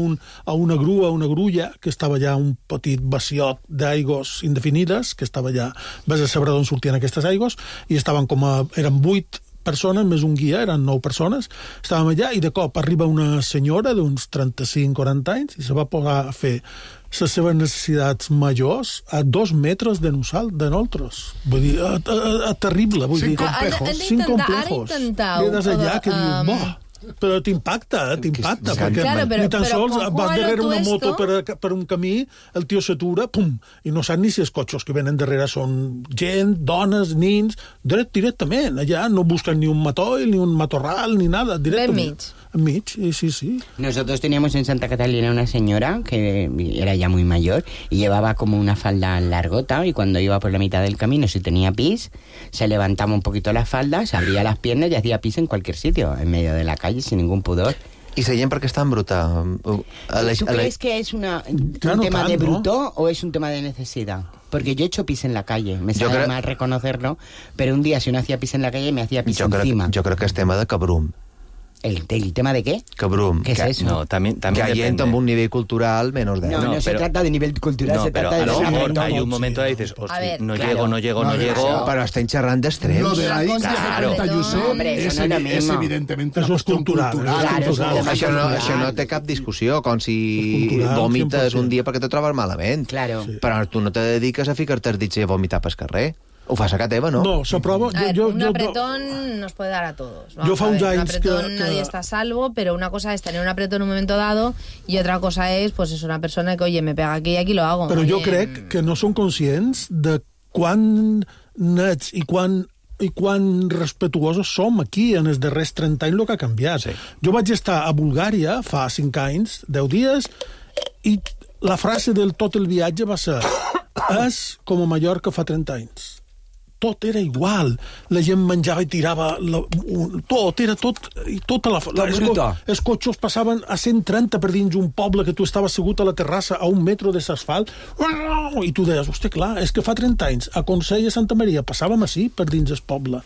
a una grulla, que estava ja un petit vaciot d'aigües indefinides, que estava ja... Vas a saber d'on sortien aquestes aigües, i estaven eren 8 persones, més un guia, eren 9 persones, estàvem allà, i de cop arriba una senyora d'uns 35-40 anys, i se va posar a fer les seves necessitats majors a 2 metres de nosaltres. Vull dir, terrible. Vull dir, Sin complejos. Quedes allà que dius, Però t'impacta, perquè Claro, ni tan pero sols con vas Juan darrere una Otuesto- moto per un camí, el tio s'atura, pum, i no sap ni si els cotxes que venen darrere són gent, dones, nins, directament, allà no busquen ni un matoll, ni un matorral, ni nada, directament. Enmig, sí. Nosotros teníamos en Santa Catalina una señora que era ya muy mayor y llevaba como una falda largota, y cuando iba por la mitad del camino, si tenía pis, se levantaba un poquito la falda, se abría las piernas y hacía pis en cualquier sitio, en medio de la calle, sin ningún pudor. I la gent perquè és tan bruta? ¿Tú crees que es un tema de bruto o es un tema de necesidad? Porque yo he hecho pis en la calle, me sabe mal reconocerlo, pero un día si no hacía pis en la calle me hacía pis encima. Jo crec que és tema de cabrum. ¿El tema de qué? Cabrum. ¿Qué es eso? No, también que hay depende. gente amb un nivell cultural menos de... No, se trata de nivel cultural, no, se pero trata de... a lo mejor no, hay un momento ahí dices, A ver, no claro. llego. Però estem xerrant d'extrems. Lo de la India Claro. 70, Josep, Hombre, es, eso no es lo es mismo. evidentemente Eso una es cuestión cultural, Claro, Això no té cap discussió, com si cultural, vomites 100%. un dia perquè te trobes malament. Claro. Però tu no te dediques a ficar-te els dits i a vomitar pel carrer. Ho fas a casa teva, no? No, s'aprova... A ver, un apretón nos puede dar a todos. Yo fa uns un anys apretón que- nadie está a salvo, pero una cosa es tener un apretón en un momento dado y otra cosa es, pues es una persona que, oye, me pega aquí y aquí lo hago. Però Oye, jo crec que no són conscients de quan nets i quan respetuosos som aquí en els darrers 30 anys el que ha canviat. Sí. Jo vaig estar a Bulgària fa 5 anys, 10 dies, i la frase del tot el viatge va ser és com a Mallorca fa 30 anys. Tot era igual. La gent menjava i tirava... Tot, era tot... I tota els cotxes passaven a 130 per dins un poble que tu estaves assegut a la terrassa a 1 metro de l'asfalt i tu deies, hòstia, clar, és que fa 30 anys a Consell i a Santa Maria passàvem així per dins el poble.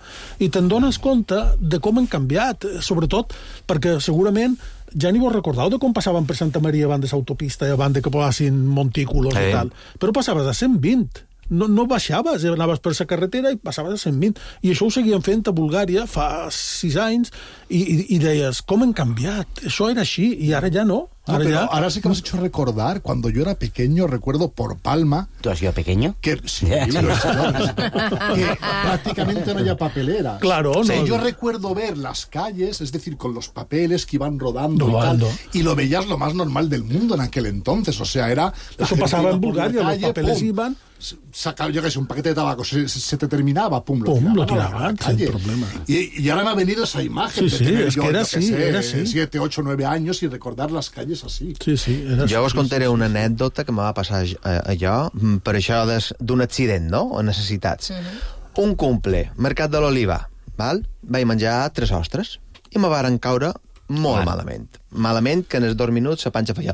I te'n dones compte de com han canviat, sobretot perquè segurament ja ni vos recordeu de com passaven per Santa Maria abans de l'autopista i abans de que posassin montículos i tal. Però passaves a 120. No baixaves, anaves per la carretera i passaves a 120. I això ho seguien fent a Bulgària fa 6 anys i deies, com han canviat? Això era així i ara ja no. No, pero ahora sí que me has hecho recordar, cuando yo era pequeño, recuerdo por Palma... ¿Tú has sido pequeño? Que, sí, que prácticamente no había papelera. Claro, o sea, no. yo recuerdo ver las calles, es decir, con los papeles que iban rodando. Y tal, y lo veías lo más normal del mundo en aquel entonces. O sea, era... Eso pasaba en Bulgaria, los papeles iban... Sacaba, yo que sé, un paquete de tabaco, se te terminaba, pum, lo tiraban, sin problema. Y ahora me ha venido esa imagen Sí, de tener es yo, que era yo que así, sé, era así. 7, 8, 9 años y recordar las calles así. Sí, jo us contaré una anècdota que me va passar allò per això d'un accident, no? O necessitats. Un cumple, Mercat de l'Oliva, val? Vaig menjar 3 ostres i me varen caure molt malament. Malament que en els 2 minuts la panxa feia...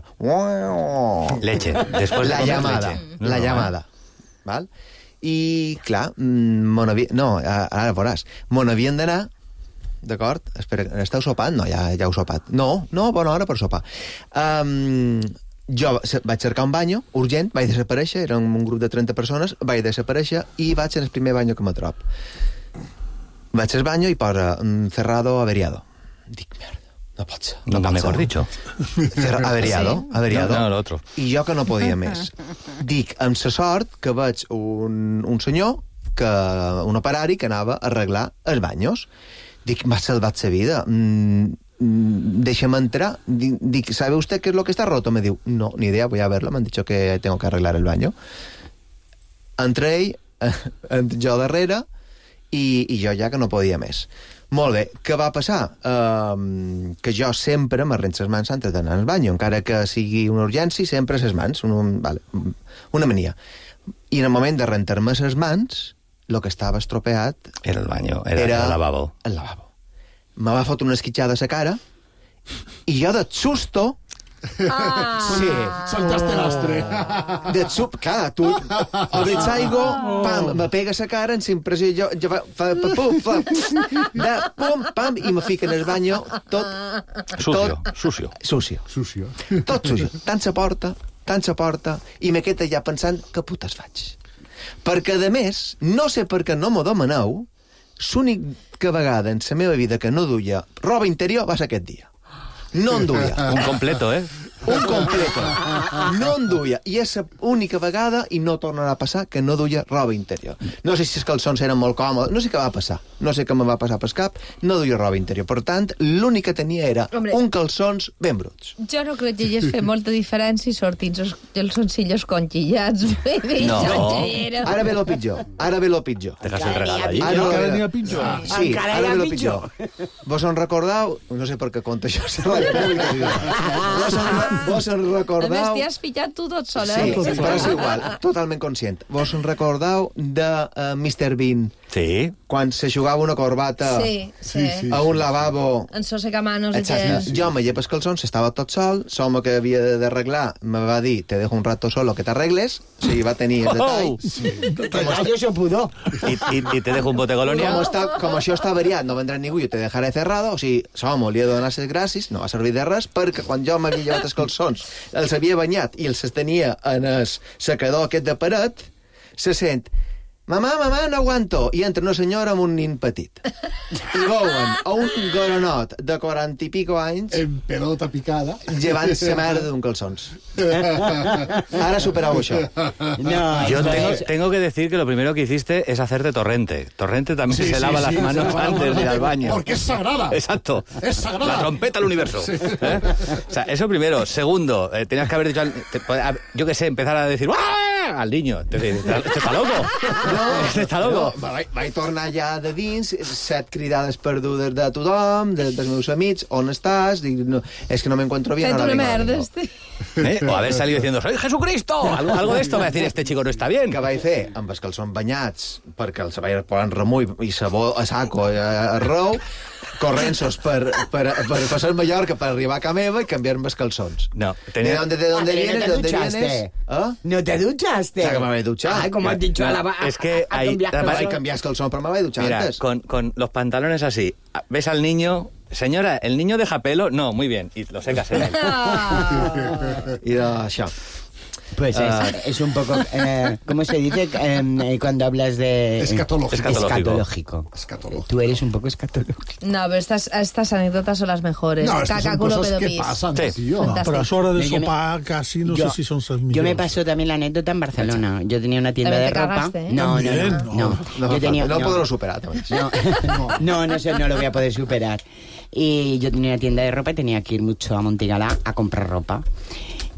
Leche. Después de la comer llamada. leche. La llamada. Val? I, clar, ara veuràs, me n'havien d'anar, d'acord? Espera, esteu sopant? No, ja heu sopat. No, bona hora per sopar. Jo vaig cercar un banyo, urgent, vaig desaparèixer, era un grup de 30 persones, vaig desaparèixer i vaig en el primer banyo que me trob. Vaig al banyo i posa cerrado averiado. Dic, merda, no pot ser. Nunca mejor dicho. Averiado, averiado. No, l'altre. I jo que no podia més. Dic, amb la sort que veig un senyor, un operari que anava a arreglar els banyos. Dic, m'ha salvat la vida. Déjame entrar. Dic, ¿sabe usted qué es lo que está roto? Me diu, no, ni idea, voy a verlo. Me han dicho que tengo que arreglar el baño. Entré jo darrere i jo ja que no podia més. Molt bé, què va passar? Que jo sempre m'arrenco les mans antes d'anar al banyo, encara que sigui una urgència, sempre les mans, una mania. I en el moment de rentar-me les mans, el que estava estropeat... Era el baño, era el lavabo. El lavabo. Me va fotre una esquitxada a la cara i jo de susto... Sí. Saltaste l'astre. De sup, clar, tu el veig aigua, pam, me pega la cara en impressió, jo pum, pam, i me fica en el banyo tot... Sucio. Tot sucio. Tant se porta, i me quedo ja pensant, què putes faig? Perquè, a més, no sé per què no m'ho demaneu, l'única vegada en la meva vida que no duia roba interior va ser aquest dia. No en duia. Un completo, Un completo. No en duia. I és l'única vegada, i no tornarà a passar, que no duia roba interior. No sé si els calçons eren molt còmodes, no sé què va passar. No sé què me va passar pel cap, no duia roba interior. Per tant, l'únic que tenia era un calçons ben bruts. Jo no crec que hi hagi fet molta diferència i sortint els calzoncillos conquillats. No. Ara ve lo pitjor. Dejas el regalo allí. Encara n'hi ha pitjor. Sí, ara ve lo pitjor. Vos en recordeu? No sé per què conta això. Vos en recordeu... A més, t'hi has ficat tu tot sol, Sí, però és igual, totalment conscient. Vos en recordeu de Mr. Bean? Sí. Quan se jugava una corbata a un lavabo... En sosegamanos i Exacte. Jo me lleves calçons, estava tot sol, l'home que havia d'arreglar me va dir, te dejo un rato solo que t'arregles, o sigui, va tenir el detall. Yo se pudo. Y te dejo un bote Colonia. Com això està variat, no vendrà ningú, jo te dejaré cerrado, o sigui, l'home li he de donar les gràcies, no va servir de res, perquè quan jo m'havia llevat els calçons, els havia banyat i els tenia en el secador aquest de paret, se sent... Mamà, no aguanto. I entra una senyora amb un nin petit. I veuen a un goronot de 40 i pico anys... En pelota picada. Llevant-se merda d'un calçons. Ara superau això. No, yo tengo que decir que lo primero que hiciste es hacerte Torrente. Torrente también se lava las manos antes de ir al baño. Porque es sagrada. Exacto. Es sagrada. La trompeta del universo. Sí. O sea, eso primero. Segundo, tenías que haber dicho, yo qué sé, empezar a decir ¡ah! Al niño. Este está loco. Este está loco. No, vaig tornar ja de dins, 7 cridades perdudes de tothom, dels meus amics, on estàs? Dic, no, és que no me encuentro bien. Fet una merda, O haver salido diciendo, ¡soy Jesucristo! Algo de esto va a decir, este chico no está bien. Que vaig fer amb els calçons banyats, perquè els vaig posar en remull i sabó a saco a rou, corrensos per passar a Mallorca per arribar a casa meva i canviar-me els calçons. No. ¿De dónde vienes? ¿De dónde vienes? ¿No te duchaste? O sea, que me habéis duchado. Ay, como has dicho, es que hay cambias calzón, pero me habéis duchado mira, antes. Con los pantalones así, ves al niño... Señora, ¿el niño deja pelo? No, muy bien. Y lo secas en él. I això. Pues es un poco, ¿cómo se dice cuando hablas de... Escatológico. Tú eres un poco escatológico. No, pero estas anécdotas son las mejores. No, estas son cosas que pasan, tío. Pero a hora de sopar casi no sé si son las mejores. Yo me pasó también la anécdota en Barcelona. Yo tenía una tienda de ropa. Cagaste, ¿eh? No. Yo tenía, no podré superar. No lo voy a poder superar. Y yo tenía una tienda de ropa y tenía que ir mucho a Montigalá a comprar ropa.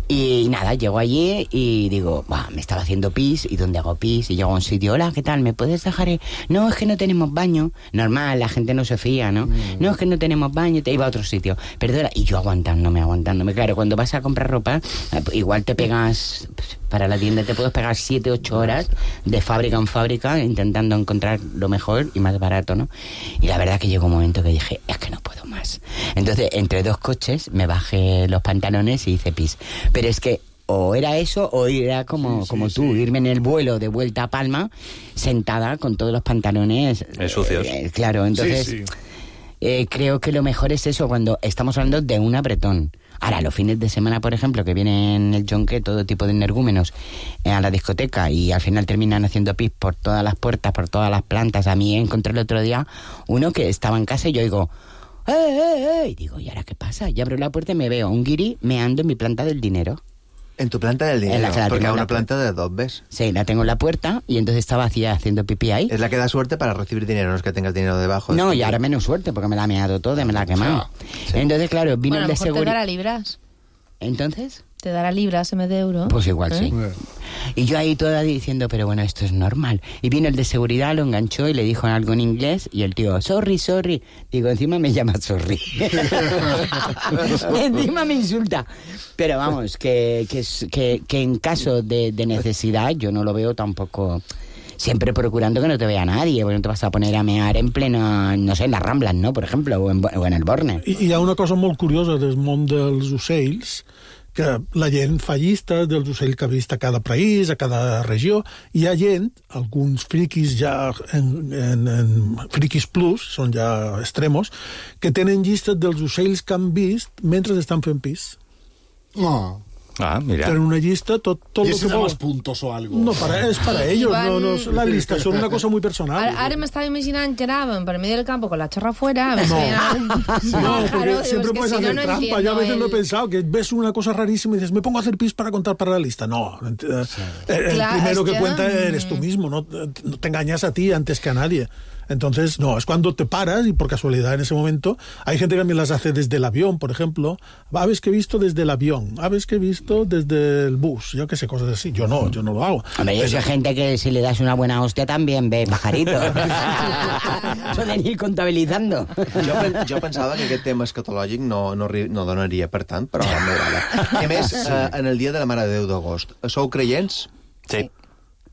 Y nada, llego allí y digo, me estaba haciendo pis, ¿y dónde hago pis? Y llego a un sitio, hola, ¿qué tal? ¿Me puedes dejar? No, es que no tenemos baño. Normal, la gente no se fía, ¿no? No, es que no tenemos baño, te iba a otro sitio. Perdona, y yo aguantándome. Claro, cuando vas a comprar ropa, igual te pegas... Para la tienda te puedes pegar 7, 8 horas de fábrica en fábrica intentando encontrar lo mejor y más barato, ¿no? Y la verdad que llegó un momento que dije, es que no puedo más. Entonces, entre 2 coches, me bajé los pantalones y hice pis. Pero es que o era eso o era como tú, irme en el vuelo de vuelta a Palma, sentada con todos los pantalones... sucios. Claro, entonces... creo que lo mejor es eso, cuando estamos hablando de un apretón. Ahora, los fines de semana, por ejemplo, que vienen el yonque, todo tipo de energúmenos a la discoteca y al final terminan haciendo pis por todas las puertas, por todas las plantas. A mí encontré el otro día uno que estaba en casa y yo digo, ¡eh! Y digo, ¿y ahora qué pasa? Y abro la puerta y me veo un guiri meando en mi planta del dinero. En tu planta del dinero, porque hay una planta de 2, ¿ves? Sí, la tengo en la puerta y entonces estaba haciendo pipí ahí. Es la que da suerte para recibir dinero, no es que tengas dinero debajo. No, y ahora menos suerte porque me la ha meado todo, me la ha quemado. Sí. Entonces, claro, vino el de seguridad. Te dará libras. ¿Entonces? Te dará libras en vez de euros. Pues igual, sí. Y yo ahí toda diciendo, pero bueno, esto es normal. Y vino el de seguridad, lo enganchó y le dijo algo en inglés y el tío, sorry. Digo, encima me llama sorry. Encima me insulta. Pero vamos, que en caso de necesidad yo no lo veo tampoco... Siempre procurando que no te vea nadie, porque no te vas a poner a mear en pleno, no sé, en las Ramblas, ¿no?, por ejemplo, o en el Borne. Hi ha una cosa molt curiosa del món dels ocells, que la gent fa llistes dels ocells que ha vist a cada país, a cada regió. Hi ha gent, alguns friquis ja en friquis plus, són ja extremos, que tenen llistes dels ocells que han vist mentre estan fent pis. No. Mira. Tienen una lista, todo ¿Y lo ese que da más puntos o algo? No, es para ellos, no la lista, son una cosa muy personal. Ara m'estava imaginant que anàvem per medio del campo con la chorra afuera. No, porque siempre puedes hacer trampa. Yo a veces lo he pensado, que ves una cosa rarísima y dices, me pongo a hacer pis para contar para la lista. No, el primero que cuenta eres tú mismo, no te engañas a ti antes que a nadie. Entonces, no, es cuando te paras y por casualidad en ese momento, hay gente que también las hace desde el avión, por ejemplo. Aves que he visto desde el avión, aves que he visto desde el bus, yo qué sé, cosas así. Yo no lo hago. Hombre, yo soy gente que si le das una buena hostia también ve pajaritos. Poden ir comptabilitzando. Jo pensava que aquest tema escatològic no donaria per tant, però m'agrada. A més, en el dia de la Mare de Déu d'agost, sou creients? Sí.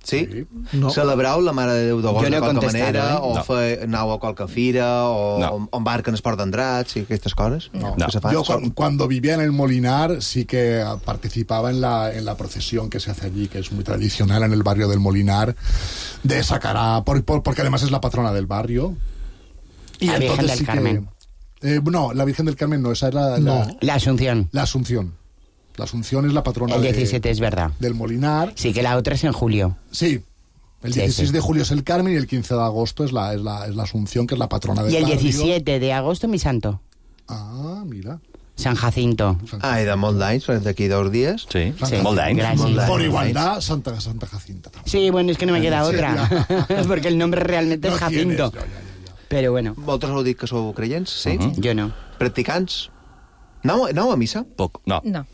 Sí? No. Celebrau la Mare de Déu d'agost de qualque manera? O anau a qualque fira? O embarquen es porten drats y aquestes coses? No. Yo cuando vivía en el Molinar sí que participaba en la procesión que se hace allí, que es muy tradicional en el barrio del Molinar, de sacar porque además es la patrona del barrio. Y la Virgen del Carmen. No, la Virgen del Carmen no, esa es la Asunción. La Asunción. La Asunción es la patrona el 17 es verdad. Del Molinar. Sí, que la otra es en julio. Sí. El 16 de julio es el Carmen y el 15 de agosto es la Asunción, que es la patrona del barrio. Y el 17 de agosto mi santo. Ah, mira. San Jacinto. I de molt d'anys, d'aquí 2 dies. Sí, molt d'anys. Por igualdad, Santa Jacinta. Sí, bueno, es que no me queda otra. Porque el nombre realmente es Jacinto. Pero bueno. Vosaltres heu dit que sou creients, sí? Jo no. Practicants? Aneu a missa? Poc, no. No.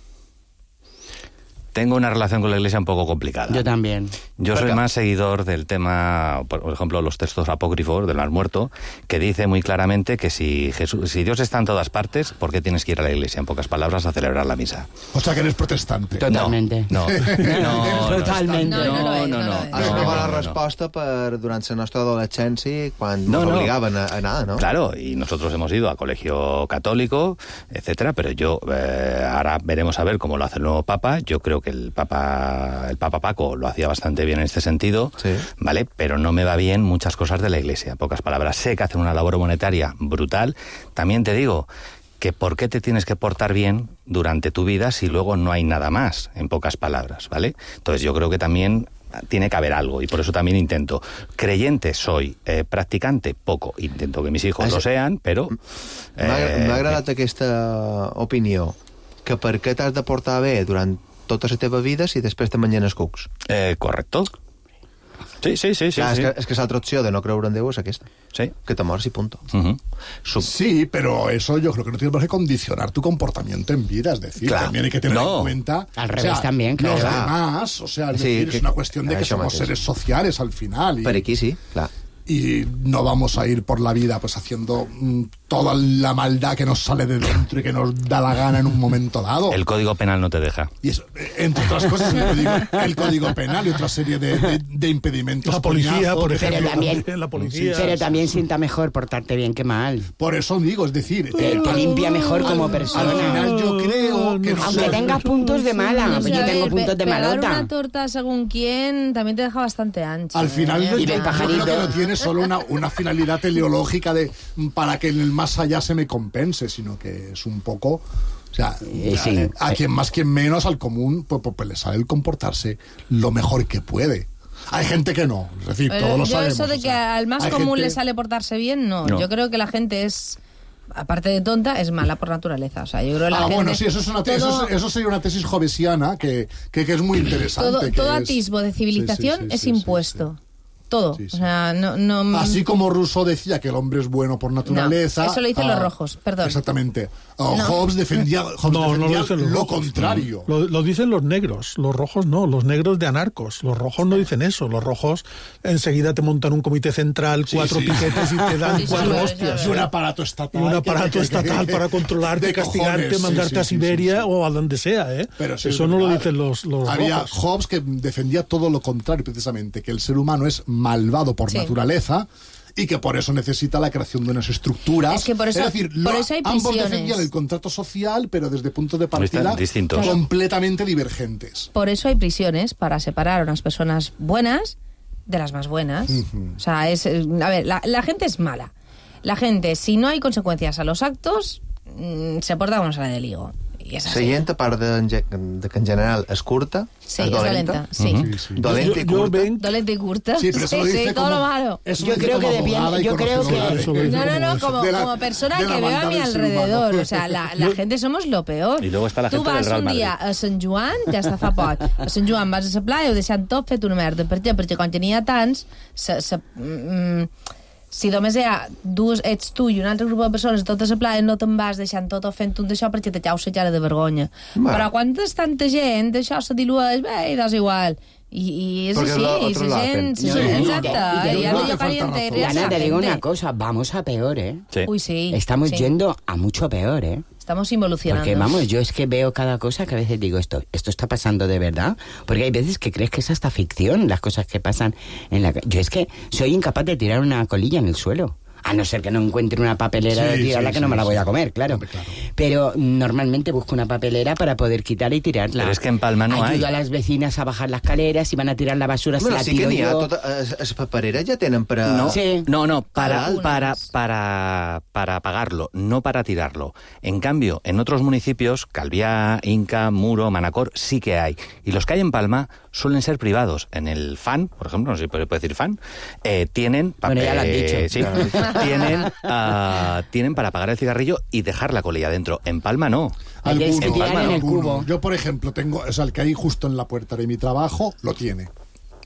Tengo una relación con la Iglesia un poco complicada. Yo también. Yo soy más seguidor del tema, por ejemplo, los textos apócrifos del Mar Muerto, que dice muy claramente que si Dios está en todas partes, ¿por qué tienes que ir a la Iglesia? En pocas palabras, a celebrar la misa. O sea, que eres protestante. Totalmente. No. Totalmente. No. És una bona resposta per durant la nostra adolescència, quan nos obligaven a anar, ¿no? Claro, y nosotros hemos ido a colegio católico, etcétera, pero yo, ahora veremos a ver cómo lo hace el nuevo Papa. Yo creo que el Papa Paco lo hacía bastante bien en este sentido, sí. ¿Vale? Pero no me va bien muchas cosas de la Iglesia, en pocas palabras. Sé que hacen una labor monetaria brutal. También te digo que ¿por qué te tienes que portar bien durante tu vida si luego no hay nada más, en pocas palabras, ¿vale? Entonces yo creo que también tiene que haber algo, y por eso también intento. Creyente soy, practicante poco. Intento que mis hijos lo sean, però... M'ha agradat aquesta opinió, que per què t'has de portar bé durant tota la teva vida si després te mengen els cucs. Correcto. Sí. Clar, és que l'altra opció de no creure en Déu és aquesta. Sí. Que te mors y punto. Sí, pero eso yo creo que no tiene por qué condicionar tu comportamiento en vida. Es decir, también hay que tener en cuenta... Al revés también, claro. Los demás, o sea, es decir, es una cuestión de que somos seres sociales al final. Pero aquí sí, claro. Y no vamos a ir por la vida pues haciendo toda la maldad que nos sale de dentro y que nos da la gana en un momento dado. El Código Penal no te deja. Y eso, entre otras cosas, el Código Penal y otra serie de impedimentos. La policía, por ejemplo. La policía. Pero también sienta mejor portarte bien que mal. Por eso digo, es decir... Te limpia mejor como persona. Al final yo creo que... Aunque tengas puntos de mala, yo tengo puntos de malota. Pegar una torta según quién también te deja bastante ancho. Al final yo y creo que no tiene solo una finalidad teleológica para que en el más allá se me compense, sino que es un poco... O sea, a quien más, quien menos, al común, pues le sale el comportarse lo mejor que puede. Hay gente que no, es decir, todos lo sabemos. Eso de que al más común le sale portarse bien, no. Yo creo que la gente es... aparte de tonta, es mala por naturaleza. O sea, yo creo que la gente... bueno, sí, eso sería una tesis jovesiana que es muy interesante. Todo atisbo de civilización es impuesto. Todo. O sea, no... Así como Rousseau decía que el hombre es bueno por naturaleza... No, eso lo dicen los rojos, perdón. Exactamente. Hobbes defendía lo contrario. Lo dicen los negros, los rojos no, los negros de anarcos. Los rojos no dicen eso. Los rojos enseguida te montan un comité central, 4 piquetes y te dan 4 hostias. Y un aparato estatal. Y un aparato estatal para controlarte, castigarte, mandarte a Siberia o a donde sea, ¿eh? Pero eso no lo dicen los había rojos. Hobbes que defendía todo lo contrario, precisamente, que el ser humano es malvado por naturaleza y que por eso necesita la creación de unas estructuras. Es que por eso, es decir, por eso hay ambos prisiones. defendían el contrato social, pero desde puntos de partida completamente divergentes. Por eso hay prisiones, para separar a unas personas buenas de las más buenas. O sea, a ver, la gente es mala. La gente, si no hay consecuencias a los actos, se porta como sale del higo. I és la gent, a part de que en general és curta, sí, és dolenta. Sí. Dolenta i curta. Dolenta y curta. Sí, pero eso lo dice todo lo como... malo. Yo creo que depende... Yo creo que... No, como persona que veo a mi alrededor. O sea, la gente somos lo peor. Y luego está la gente del Real Madrid. Tu vas un dia a Sant Joan, ja està fa poc. A Sant Joan vas a la playa, ho deixant tot fet una merda. Per què? Perquè quan tenia tants... Si només ets tu i un altre grup de persones a tota la playa, no te'n vas deixant tot o fent tot d'això perquè te caus la cara de vergonya. Però quan és tanta gent, això se dilueix, i és igual. Y es así, y se exacto. Y Ana, te digo una cosa, vamos a peor, ¿eh? Sí. Uy, sí. Estamos yendo a mucho peor, ¿eh? Estamos involucionando. Porque, vamos, yo es que veo cada cosa que a veces digo, esto está pasando de verdad. Porque hay veces que crees que es hasta ficción las cosas que pasan en la... Yo es que soy incapaz de tirar una colilla en el suelo. A no ser que no encuentre una papelera de tirarla, que no me la voy a comer, claro. Pero normalmente busco una papelera para poder quitar y tirarla. Pero es que en Palma no hay. Ayudo a las vecinas a bajar las escaleras, si van a tirar la basura, se la tiro yo. Les papereres ja tenen per a... No, para pagarlo, no para tirarlo. En cambio, en otros municipios, Calviá, Inca, Muro, Manacor, sí que hay. Y los que hay en Palma suelen ser privados. En el FAN, por ejemplo, no sé si puede decir FAN, tienen... Bueno, ya lo han dicho. Sí, tienen para pagar el cigarrillo y dejar la colilla dentro. En Palma no. Yo, por ejemplo, tengo, o sea, el que hay justo en la puerta de mi trabajo lo tiene.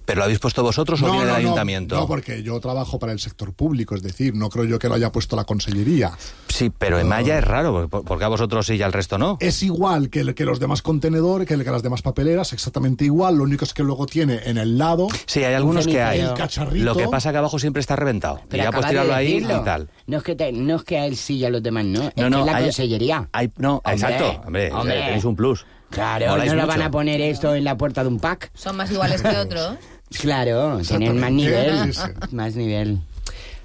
¿Pero lo habéis puesto vosotros o viene del ayuntamiento? No, porque yo trabajo para el sector público, es decir, no creo yo que lo haya puesto la consellería. Sí, pero en Maya es raro, porque a vosotros sí y al resto no. Es igual que los demás contenedores, que las demás papeleras, exactamente igual, lo único es que luego tiene en el lado... Sí, hay algunos que hay. El cacharrito. Lo que pasa es que abajo siempre está reventado. Pero y ya pues tirarlo ahí y tal. No es que a él sí y a los demás no, es que la consellería. Exacto, hombre, tenéis un plus. Claro, no lo van a poner esto en la puerta de un pack. Son más iguales que otros. Claro, tienen más nivel. Más nivel.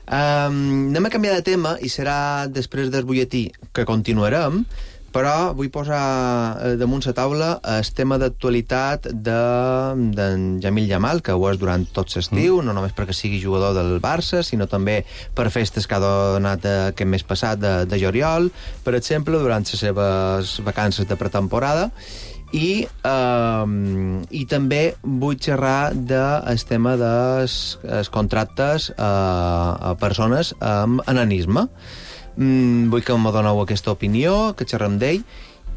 Anem a canviar de tema i serà després del butlletí que continuarem, però vull posar damunt la taula el tema d'actualitat d'en Jamil Jamal, que ho és durant tot l'estiu, no només perquè sigui jugador del Barça, sinó també per festes que ha donat aquest mes passat de juliol, per exemple, durant les seves vacances de pretemporada. I també vull xerrar del tema dels contractes a persones amb enanisme. Vull que me doneu aquesta opinió, que xerrem d'ell.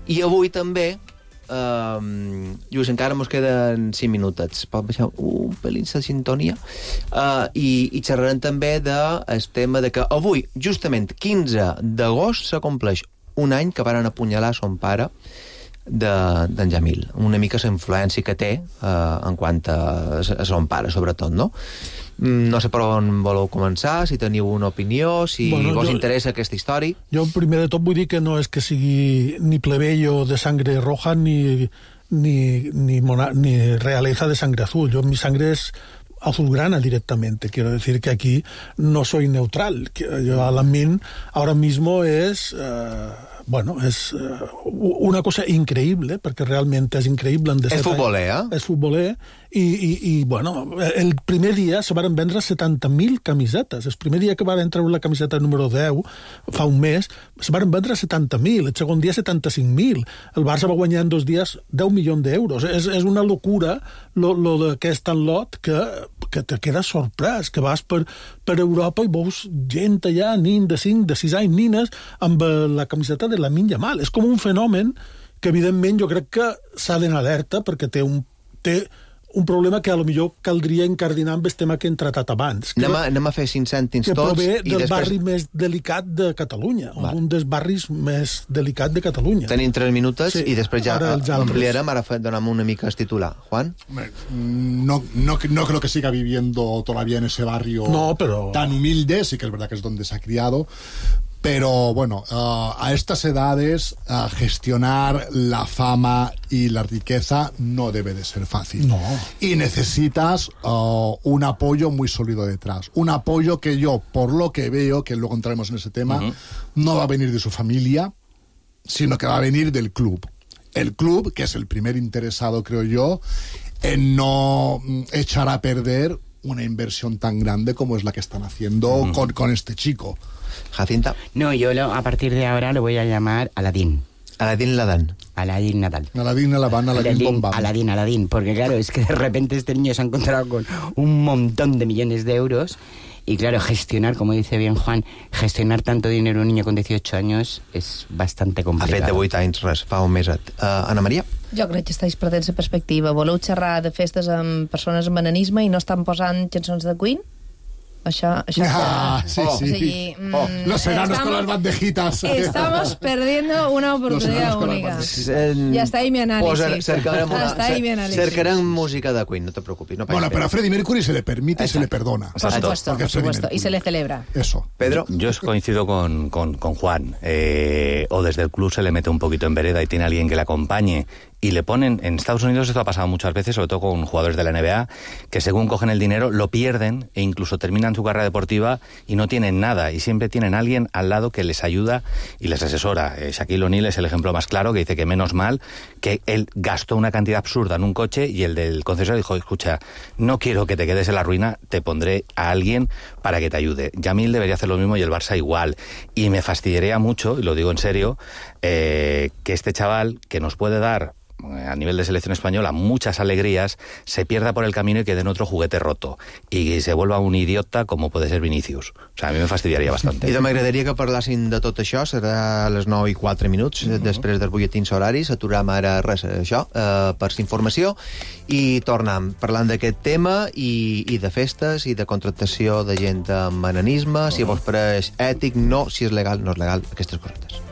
I avui també, Lluís, encara mos queden 5 minutets. Pot baixar un pelín la sintonia? I xerrarem també del tema de que avui, justament 15 d'agost, s'acompleix un any que varen apunyalar son pare, d'en Jamil, una mica la influència que té en quant a son pare, sobretot, no? No sé per on voleu començar, si teniu una opinió, si vos interessa aquesta història. Jo, primer de tot, vull dir que no és que sigui ni plebeyo de sangre roja ni realeza de sangre azul. Mi sangre es azulgrana directamente. Quiero decir que aquí no soy neutral. Yo, Alamin, ahora mismo es... es una cosa increïble, perquè realment és increïble. És futboler, És futboler, i el primer dia se van vendre 70.000 camisetes. El primer dia que van treure la camiseta número 10, fa un mes, se van vendre 70.000, el segon dia 75.000. El Barça va guanyar en 2 dies 10 milions d'euros. És una locura lo d'aquest lot que te quedes sorprès, que vas per Europa i veus gent allà, nin de 5, de 6 anys, nines, amb la camiseta de Lamine Yamal. És com un fenomen que, evidentment, jo crec que s'ha d'anar alerta perquè té un problema que a lo millor caldria encardinar amb el tema que hem tratat abans. Anem a fer 5 cèntims tots. Que prové del barri més delicat de Catalunya, un dels barris més delicats de Catalunya. Tenim 3 minuts i després ja ampliarem. Ara donem una mica el titular. Juan? No creo que siga viviendo todavía en ese barrio tan humilde, sí que es verdad que es donde se ha criado, pero bueno, a estas edades gestionar la fama y la riqueza no debe de ser fácil. No. Y necesitas un apoyo muy sólido detrás. Un apoyo que yo, por lo que veo, que luego entraremos en ese tema, no va a venir de su familia, sino que va a venir del club. El club, que es el primer interesado, creo yo, en no echar a perder una inversión tan grande como es la que están haciendo con este chico. Jacinta. No, yo a partir de ahora lo voy a llamar Aladín. Aladín Ladán. Aladín Nadal. Aladín Alabán, Aladín Bombán. Aladín, porque claro, es que de repente este niño se ha encontrado con un montón de millones de euros y claro, gestionar, como dice bien Juan, gestionar tanto dinero un niño con 18 años és bastante complicat. Ha fet de 8 anys, res, fa un mes. Ana Maria? Jo crec que estáis perdent la perspectiva. Voleu xerrar de festes amb persones amb enanisme i no estan posant cançons de Queen? Això sí. O sigui, los enanos con las bandejitas. Estamos perdiendo una oportunidad única. Ya está ahí mi análisis. Cercarem música de Queen, no te preocupes. Bueno, pero a Freddie Mercury se le permite y se le perdona. Por supuesto, y se le celebra. Eso. Pedro. Yo coincido con Juan. O desde el club se le mete un poquito en vereda y tiene alguien que le acompañe. Y le ponen, en Estados Unidos esto ha pasado muchas veces, sobre todo con jugadores de la NBA, que según cogen el dinero lo pierden e incluso terminan su carrera deportiva y no tienen nada, y siempre tienen a alguien al lado que les ayuda y les asesora. Shaquille O'Neal es el ejemplo más claro, que dice que menos mal que él gastó una cantidad absurda en un coche y el del concesionario dijo, escucha, no quiero que te quedes en la ruina, te pondré a alguien para que te ayude. Yamil debería hacer lo mismo y el Barça igual. Y me fastidiaría mucho, y lo digo en serio, que este chaval que nos puede dar a nivel de selección española muchas alegrías, se pierda por el camino y quede en otro juguete roto y se vuelva un idiota como puede ser Vinicius. O sea, a mi me fastidiaria bastante. I m'agradaria que parlessin de tot això, serà a les 9:04 després dels butlletins horaris, aturem ara res, això, per informació, i tornem parlant d'aquest tema i de festes i de contractació de gent amb enanisme, si vos pareix ètic, no, si és legal, no és legal, aquestes cosetes.